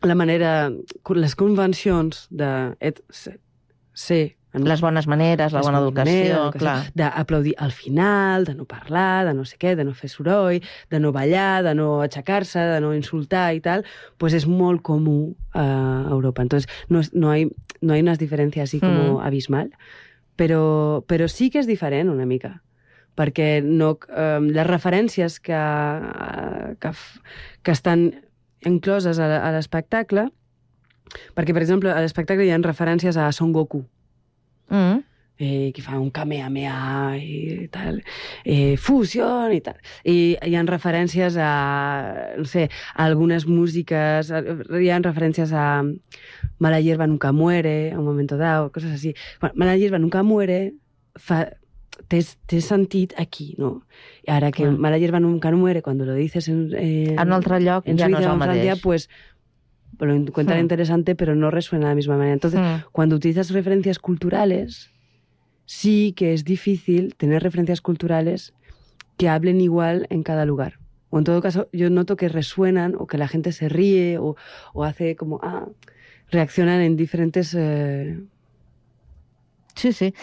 la manera, les convencions de et, ser... Les bones maneres, la bona educació, clar. D'aplaudir al final, de no parlar, de no sé què, de no fer soroll, de no ballar, de no aixecar-se, de no insultar i tal, pues és molt comú a Europa. Entonces, no, es, no, hay, no hay unas diferencias así como mm. abismal, però, però sí que és diferent una mica, perquè no, eh, les referències que, que, que estan incloses a, a l'espectacle, perquè, per exemple, a l'espectacle hi ha referències a Son Goku, mm. eh, que fa un kamehameha i tal, eh, fusió i tal. I hi ha referències a, no sé, a algunes músiques, hi ha referències a Mala hierba nunca muere, a un momento dado, cosas así. Bueno, Mala hierba nunca muere fa... Té, té sentit aquí, no? I ara que mm. Mala hierba nunca muere, cuando lo dices en, eh, en un altre lloc en ja Suiza, no és el en Francia, mateix. Pues, lo encuentran mm. interesante, pero no resuena de la misma manera. Entonces, mm. cuando utilizas referencias culturales, sí que es difícil tener referencias culturales que hablen igual en cada lugar. O en todo caso, yo noto que resuenan o que la gente se ríe o, o hace como, ah, reaccionan en diferentes... Eh... Sí, sí.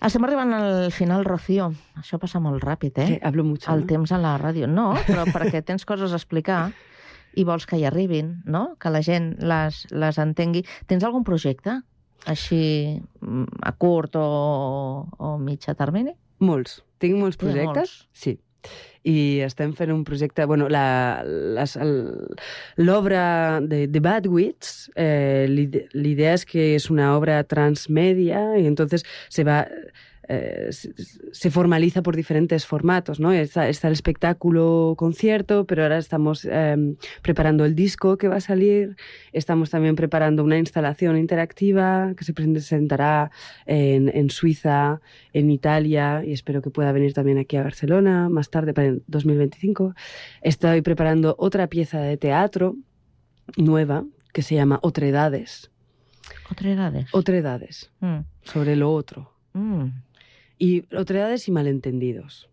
Estem arribant al final, Rocío. Això passa molt ràpid, eh? Que hablo mucho, El ¿no? temps a la ràdio. No, però perquè tens coses a explicar i vols que hi arribin, no? Que la gent les, les entengui. Tens algun projecte així a curt o, o mitjà termini? Molts. Tinc molts projectes. Molts. Sí. I estem fent un projecte... Bueno, la, les, l'obra de, de Bad Wits, eh, l'idea es que es una obra transmedia y entonces se va... Eh, se formaliza por diferentes formatos, ¿no? Está, está el espectáculo concierto, pero ahora estamos eh, preparando el disco que va a salir, estamos también preparando una instalación interactiva que se presentará en, en Suiza, en Italia, y espero que pueda venir también aquí a Barcelona más tarde, para el dos mil veinticinco. Estoy preparando otra pieza de teatro nueva que se llama Otredades. ¿Otredades? Otredades, mm. sobre lo otro. Mm. I otredades i malentendidos.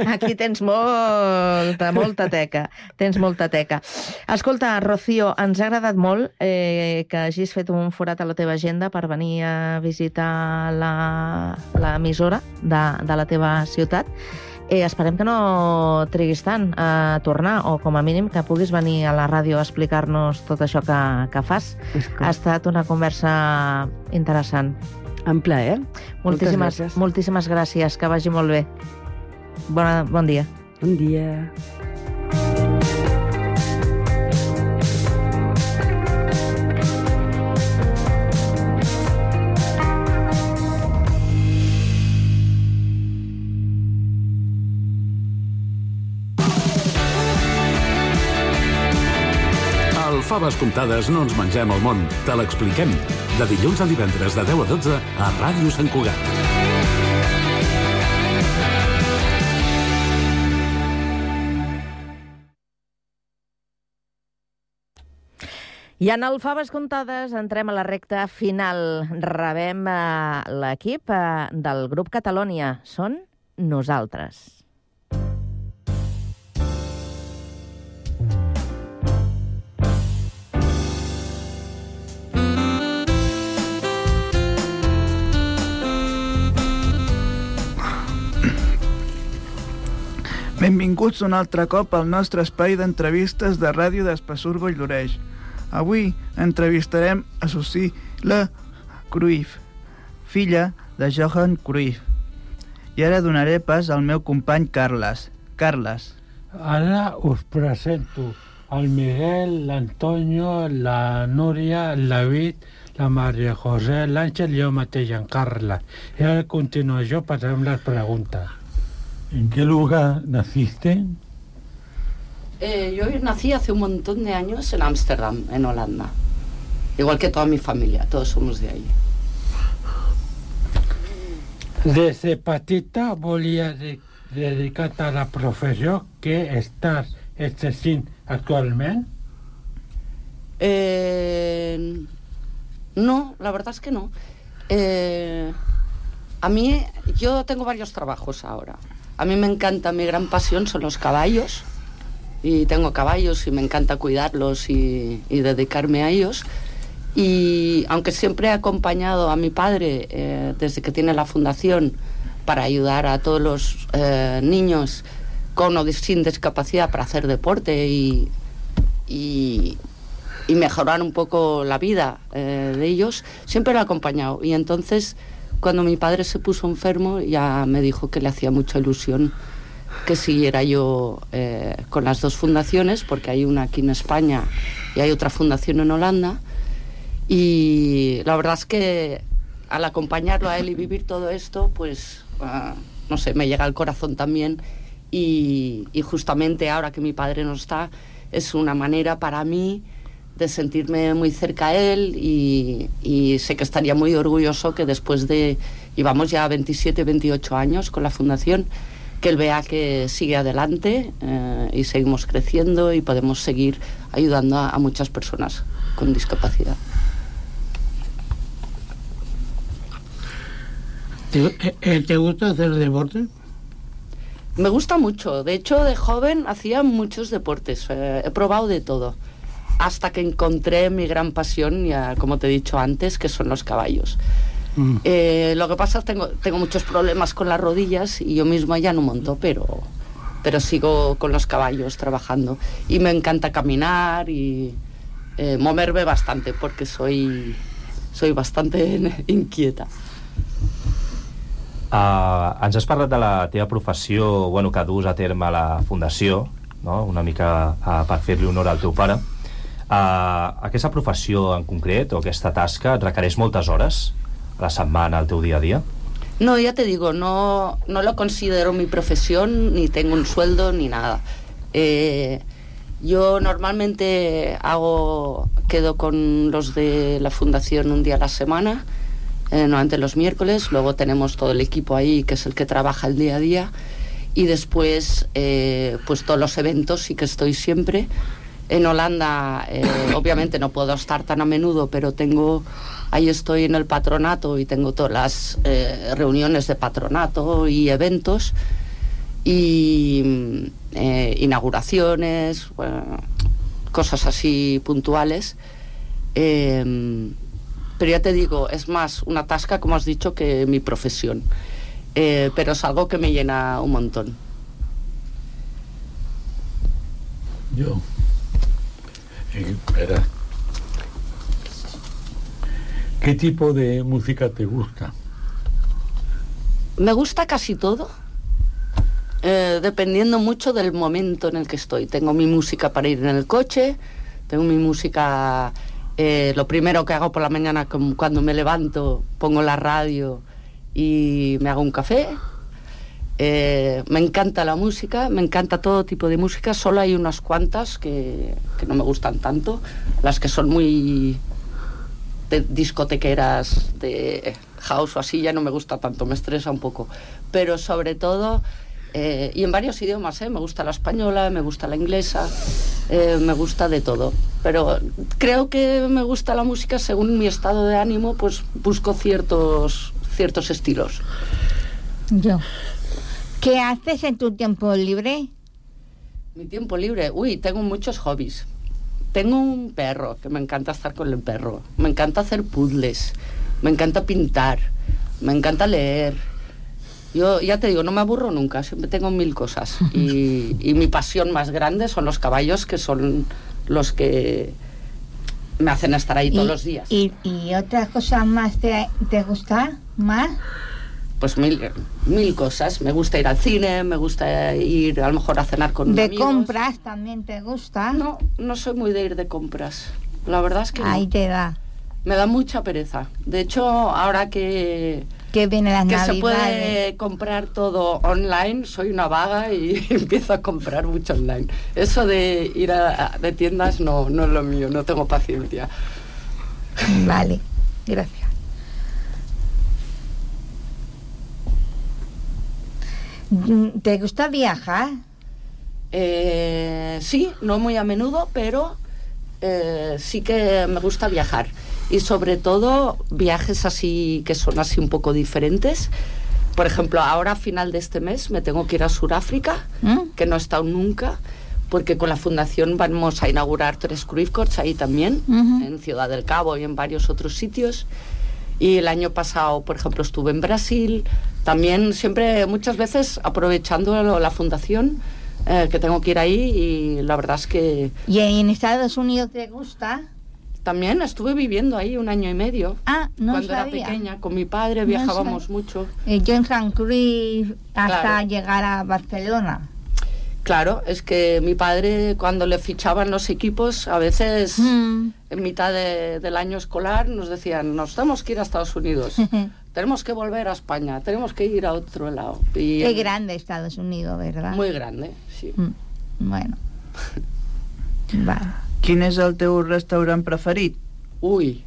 Aquí tens molta, molta teca. Tens molta teca. Escolta, Rocío, ens ha agradat molt eh, que hagis fet un forat a la teva agenda per venir a visitar l'emissora de, de la teva ciutat. Eh, esperem que no triguis tant a tornar, o com a mínim que puguis venir a la ràdio a explicar-nos tot això que, que fas. Ha estat una conversa interessant. En plaer. Moltíssimes, gràcies. moltíssimes gràcies. Que vagi molt bé. Bona, bon dia. Bon dia. Al Faves Comptades no ens mengem el món, te l'expliquem. De dilluns a divendres de deu a dotze a Ràdio Sant Cugat. I en el Faves Comptades entrem a la recta final. Rebem eh, l'equip eh, del grup Catalònia. Són Nosaltres. Benvinguts un altre cop al nostre espai d'entrevistes de ràdio d'Espessur Vall-d'Oreix. Avui entrevistarem a Susi-la Cruyff, filla de Johan Cruyff. I ara donaré pas al meu company Carles. Carles. Ara us presento el Miguel, l'Antonio, la Núria, el David, la María José, l'Àngel i jo mateix, en Carla. I ara continuo jo passant les preguntes. ¿En qué lugar naciste? Eh, yo nací hace un montón de años en Ámsterdam, en Holanda. Igual que toda mi familia, todos somos de ahí. Des de petita volia de, dedicar-te a la professió que estàs exercint actualment? Eh, no, la verdad es que no. Eh, a mí, yo tengo varios trabajos ahora. A mí me encanta, mi gran pasión son los caballos. Y tengo caballos y me encanta cuidarlos y, y dedicarme a ellos. Y aunque siempre he acompañado a mi padre eh, desde que tiene la fundación para ayudar a todos los eh, niños con o sin discapacidad para hacer deporte y, y, y mejorar un poco la vida eh, de ellos, siempre lo he acompañado. Y entonces, cuando mi padre se puso enfermo, ya me dijo que le hacía mucha ilusión que siguiera yo eh, con las dos fundaciones, porque hay una aquí en España y hay otra fundación en Holanda. Y la verdad es que al acompañarlo a él y vivir todo esto, pues, uh, no sé, me llega al corazón también. Y, y justamente ahora que mi padre no está, es una manera para mí de sentirme muy cerca a él y, y sé que estaría muy orgulloso que después de, llevamos ya veintisiete, veintiocho años con la fundación, que él vea que sigue adelante eh, y seguimos creciendo y podemos seguir ayudando a, a muchas personas con discapacidad. ¿Te, ¿Te gusta hacer deporte? Me gusta mucho. De hecho, de joven hacía muchos deportes. Eh, he probado de todo. Hasta que encontré mi gran pasión, ya como te he dicho antes, que son los caballos. Mm. Eh, lo que pasa es que tengo, tengo muchos problemas con las rodillas y yo misma ya no monto, pero, pero sigo con los caballos trabajando. Y me encanta caminar y eh, moverme bastante porque soy, soy bastante inquieta. Uh, ens has parlat de la teva professió, bueno, que dus a terme a la fundació, no? Una mica uh, per fer-li honor al teu pare. Uh, aquesta professió en concret, o aquesta tasca, et requereix moltes hores a la setmana, al teu dia a día? No, ya te digo, no, no lo considero mi profesión, ni tengo un sueldo, ni nada. Eh, yo normalmente hago, quedo con los de la fundación un día a la semana, Eh, normalmente los miércoles, luego tenemos todo el equipo ahí que es el que trabaja el día a día y después eh, pues todos los eventos sí que estoy siempre. En Holanda eh, obviamente no puedo estar tan a menudo, pero tengo, ahí estoy en el patronato y tengo todas las eh, reuniones de patronato y eventos y eh, inauguraciones, bueno, cosas así puntuales. Eh, Pero ya te digo, es más una tasca, como has dicho, que mi profesión. Eh, pero es algo que me llena un montón. Yo. Eh, espera. ¿Qué tipo de música te gusta? Me gusta casi todo, eh, dependiendo mucho del momento en el que estoy. Tengo mi música para ir en el coche, tengo mi música... Eh, lo primero que hago por la mañana, cuando me levanto, pongo la radio y me hago un café. Eh, me encanta la música, me encanta todo tipo de música. Solo hay unas cuantas que, que no me gustan tanto. Las que son muy de discotequeras, de house o así, ya no me gusta tanto, me estresa un poco. Pero sobre todo... Eh, y en varios idiomas, ¿eh? Me gusta la española, me gusta la inglesa, eh, me gusta de todo. Pero creo que me gusta la música según mi estado de ánimo, pues busco ciertos, ciertos estilos. Yo. ¿Qué haces en tu tiempo libre? Mi tiempo libre, uy, tengo muchos hobbies. Tengo un perro, que me encanta estar con el perro. Me encanta hacer puzzles, me encanta pintar, me encanta leer. Yo ya te digo, no me aburro nunca, siempre tengo mil cosas. Y, y mi pasión más grande son los caballos, que son los que me hacen estar ahí todos y, los días. ¿Y, y otra cosa más te, te gusta más? pues mil, mil cosas. Me gusta ir al cine, me gusta ir a lo mejor a cenar con ¿De amigos. compras también te gusta? No, no soy muy de ir de compras. La verdad es que no. Ahí te da. Me da mucha pereza. De hecho, ahora que... Que viene las que navidades. se puede comprar todo online, soy una vaga y empiezo a comprar mucho online. Eso de ir a, de tiendas no, no es lo mío, no tengo paciencia. Vale, gracias. ¿Te gusta viajar? Eh, sí, no muy a menudo, pero eh, sí que me gusta viajar. Y sobre todo viajes así que son así un poco diferentes. Por ejemplo, ahora a final de este mes me tengo que ir a Sudáfrica, ¿Mm? que no he estado nunca, porque con la fundación vamos a inaugurar tres Cruyff Courts ahí también, uh-huh. en Ciudad del Cabo y en varios otros sitios. Y el año pasado, por ejemplo, estuve en Brasil, también siempre, muchas veces, aprovechando la fundación, eh, que tengo que ir ahí, y la verdad es que... ¿Y en Estados Unidos te gusta? También estuve viviendo ahí un año y medio. Ah, no Cuando sabía. era pequeña, con mi padre viajábamos no mucho. Eh, yo en San Cruz hasta Claro. llegar a Barcelona. Claro, es que mi padre, cuando le fichaban los equipos, a veces mm. en mitad de, del año escolar nos decían, nos tenemos que ir a Estados Unidos, tenemos que volver a España, tenemos que ir a otro lado. Y, Qué grande Estados Unidos, ¿verdad? Muy grande, sí. Mm. Bueno. Vale. Quin és el teu restaurant preferit? Uy,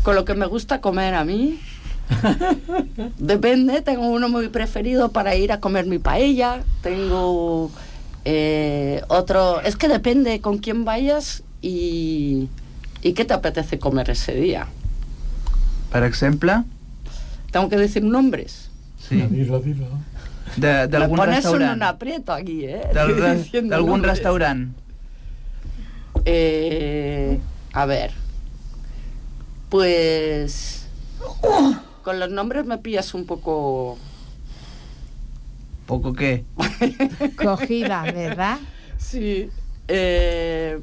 con lo que me gusta comer a mí... Depende, tengo uno muy preferido para ir a comer mi paella, tengo eh, otro, es que depende con quién vayas y, y qué te apetece comer ese día. Per exemple? ¿Tengo que decir nombres? Sí. Dilo, dilo. De, de algún Me pones restaurant. en un aprieto aquí, ¿eh? De algún restaurant. Eh, a ver, pues... Con los nombres me pillas un poco... ¿Poco qué? Cogida, ¿verdad? Sí. Eh,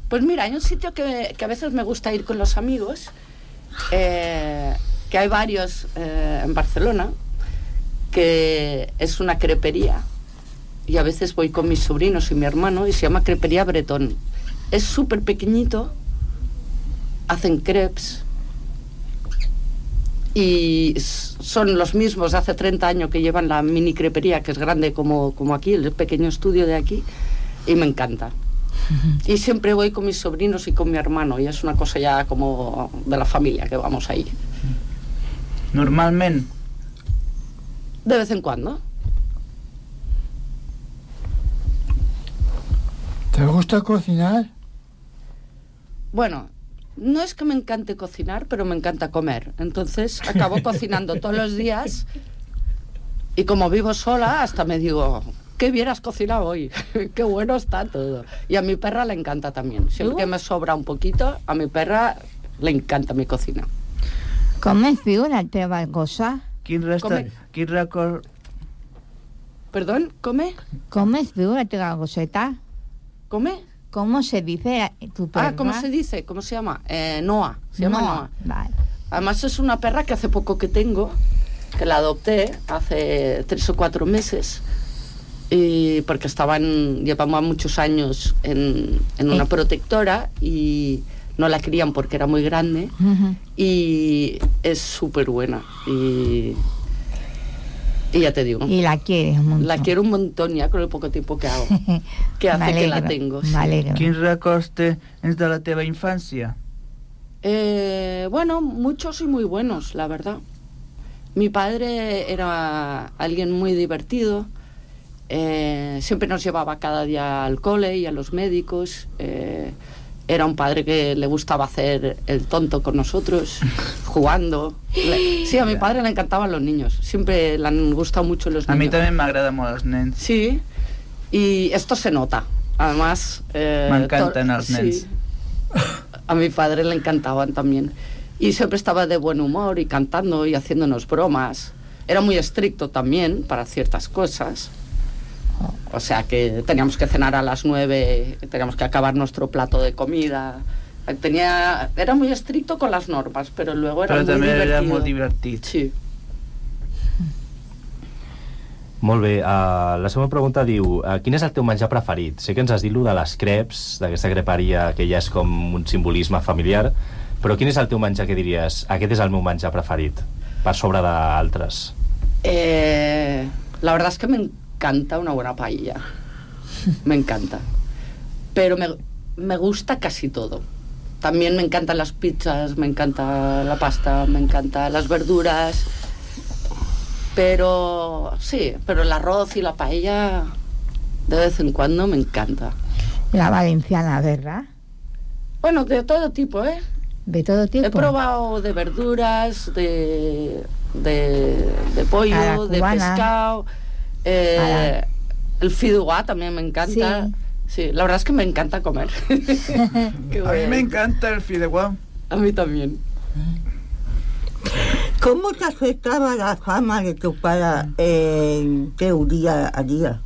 pues mira, hay un sitio que, que a veces me gusta ir con los amigos, eh, que hay varios eh, en Barcelona, que es una crepería, y a veces voy con mis sobrinos y mi hermano, y se llama Crepería Bretón. Es súper pequeñito, hacen crepes, y son los mismos de hace treinta años que llevan la mini crepería, que es grande como, como aquí, el pequeño estudio de aquí, y me encanta. Uh-huh. Y siempre voy con mis sobrinos y con mi hermano, y es una cosa ya como de la familia que vamos ahí. Normalment? De vez en cuando. ¿Te gusta cocinar? Bueno... No es que me encante cocinar, pero me encanta comer. Entonces acabo cocinando todos los días y como vivo sola, hasta me digo, ¿qué hubieras cocinado hoy? Qué bueno está todo. Y a mi perra le encanta también. Siempre que me sobra un poquito, a mi perra le encanta mi cocina. ¿Comes viu la teva cosa? Quin resta... Quin record... Perdón, ¿come? ¿Comes viu la teva goseta? ¿Come? ¿Cómo se dice tu perra? Ah, ¿cómo se dice? ¿Cómo se llama? Eh, Noah. Se llama Noah. Noah. Vale. Además es una perra que hace poco que tengo, que la adopté hace tres o cuatro meses, y porque estaban, llevamos muchos años en, en una protectora y no la querían porque era muy grande, uh-huh. y es súper buena. Y... Y ya te digo. Y la quieres un montón. La quiero un montón ya con el poco tiempo que hago. Que hace que la tengo. Sí. Quins records tens de la teva infància? Eh, bueno, muchos y muy buenos, la verdad. Mi padre era alguien muy divertido. Eh, siempre nos llevaba cada día al cole y a los médicos. Eh, Era un padre que le gustaba hacer el tonto con nosotros, jugando. Le... Sí, a mi padre le encantaban los niños. Siempre le han gustado mucho los niños. A mi també m'agrada molt els nens. Sí, y esto se nota. Además... Eh, M'encanten els nens. Sí. A mi padre le encantaban también. Y siempre estaba de buen humor y cantando y haciéndonos bromas. Era muy estricto también para ciertas cosas. O sea que teníamos que cenar a las nueve, teníamos que acabar nuestro plato de comida. Tenía, era muy estricto con las normas, pero luego era però muy també divertido. era molt divertit. Sí. Molt bé, uh, la següent pregunta diu uh, quin és el teu menjar preferit? Sé que ens has dit lo de les creps, d'aquesta creperia que ja és com un simbolisme familiar, però quin és el teu menjar que diries aquest és el meu menjar preferit, per sobre d'altres? Eh, la verdad es que me encanta una buena paella. Me encanta. Pero me, me gusta casi todo. También me encantan las pizzas, me encanta la pasta, me encantan las verduras. Pero sí, pero el arroz y la paella de vez en cuando me encanta. La valenciana, ¿verdad? Bueno, de todo tipo, ¿eh? ¿De todo tipo? He probado de verduras, de, de, de pollo, de pescado. Eh, el fideuà también me encanta. Sí. Sí, la verdad es que me encanta comer. A mí me encanta el fideuà. A mí también. ¿Cómo te afectaba la fama de tu padre en tu día a día?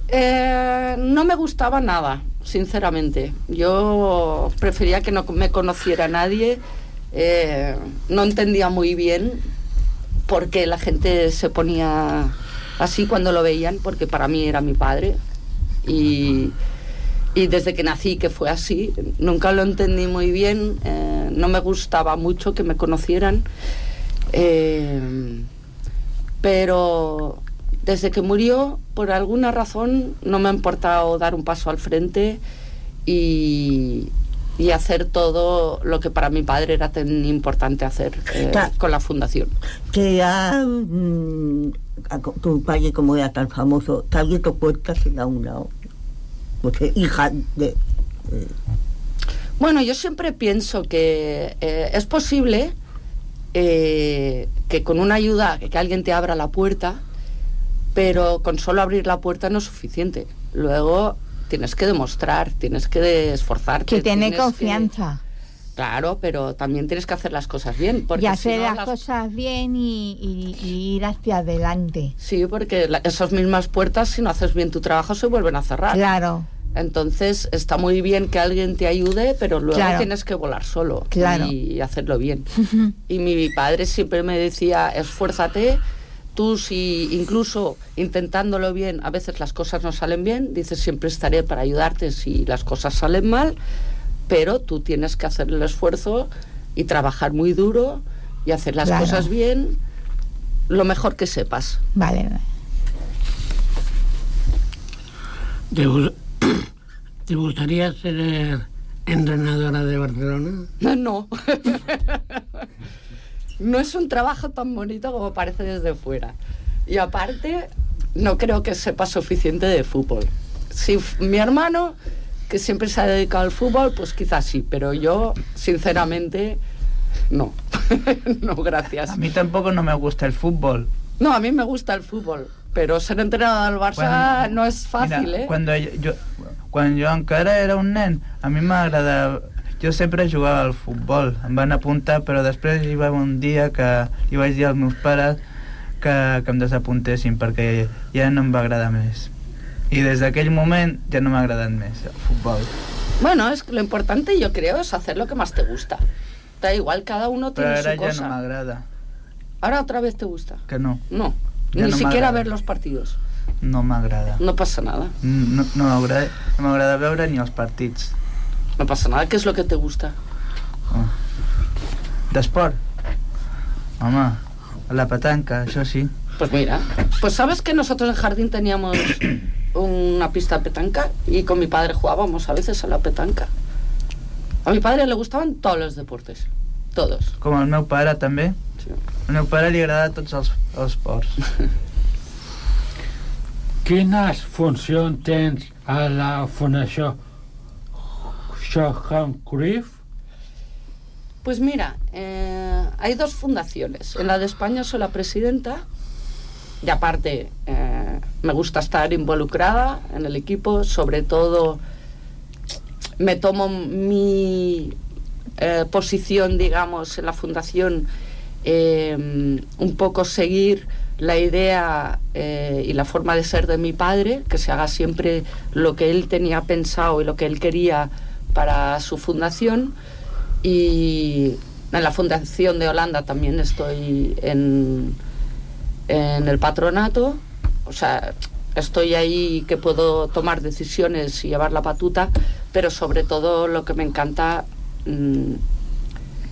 Eh, no me gustaba nada, sinceramente. Yo prefería que no me conociera nadie. Eh, no entendía muy bien por qué la gente se ponía así cuando lo veían, porque para mí era mi padre. Y, y desde que nací que fue así, nunca lo entendí muy bien, eh, no me gustaba mucho que me conocieran, eh, pero desde que murió, por alguna razón, no me ha importado dar un paso al frente y, y hacer todo lo que para mi padre era tan importante hacer eh, con la fundación. Que ya mmm, tu padre, como era tan famoso, te ha abierto puertas en un lado. Porque hija de... Eh. Bueno, yo siempre pienso que eh, es posible eh, que con una ayuda, que alguien te abra la puerta, pero con solo abrir la puerta no es suficiente. Luego tienes que demostrar, tienes que esforzarte. Que tener confianza. Que, claro, pero también tienes que hacer las cosas bien. Porque y hacer si no, las, las cosas bien y, y, y ir hacia adelante. Sí, porque la, esas mismas puertas, si no haces bien tu trabajo, se vuelven a cerrar. Claro. Entonces está muy bien que alguien te ayude, pero luego claro. tienes que volar solo claro. y hacerlo bien. Y mi padre siempre me decía, esfuérzate. Tú, si incluso intentándolo bien, a veces las cosas no salen bien, dices, siempre estaré para ayudarte si las cosas salen mal, pero tú tienes que hacer el esfuerzo y trabajar muy duro y hacer las claro. cosas bien, lo mejor que sepas. Vale. ¿Te, ¿Te gustaría ser entrenadora de Barcelona? No. No es un trabajo tan bonito como parece desde fuera. Y aparte, no creo que sepa suficiente de fútbol. Si mi hermano, que siempre se ha dedicado al fútbol, pues quizás sí, pero yo, sinceramente, no. No, gracias. A mí tampoco no me gusta el fútbol. No, a mí me gusta el fútbol, pero ser entrenador del Barça cuando, no es fàcil, mira, eh? Cuando yo, quan jo encara era un nen, a mi m'agradava... Jo sempre jugava al futbol, em van apuntar, però després hi va un dia que hi vaig dir als meus pares que, que em desapuntessin perquè ja no em va agradar més. I des d'aquell moment ja no m'ha agradat més el futbol. Bueno, es que lo importante yo creo es hacer lo que más te gusta. Da igual, cada uno tiene su cosa. Però ara ja no m'agrada. ¿Ahora otra vez te gusta? Que no. No, ja ni no siquiera ver los partidos. No m'agrada. No pasa nada. No, no m'agrada no m'agrada veure ni els partits. No pasa nada. ¿Qué es lo que te gusta? Oh. D'esport? Home, la petanca, això sí. Pues mira, pues sabes que nosotros en jardín teníamos una pista de petanca y con mi padre jugábamos a veces a la petanca. A mi padre le gustaban todos los deportes, todos. Com al meu pare també? Sí. Al meu pare li agrada tots els, els esports. Quines funcions tens a la Fundació Johan Cruyff? Pues mira, eh, hay dos fundaciones. En la de España soy la presidenta y aparte eh, me gusta estar involucrada en el equipo, sobre todo me tomo mi eh, posición, digamos, en la fundación, eh, un poco seguir la idea eh, y la forma de ser de mi padre, que se haga siempre lo que él tenía pensado y lo que él quería para su fundación. Y en la Fundación de Holanda también estoy en, en el patronato o sea, estoy ahí que puedo tomar decisiones y llevar la batuta, pero sobre todo lo que me encanta mmm,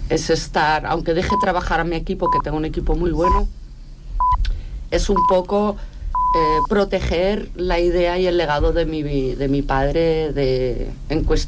es estar, aunque deje trabajar a mi equipo, que tengo un equipo muy bueno, es un poco eh, proteger la idea y el legado de mi, de mi padre de, en cuestión.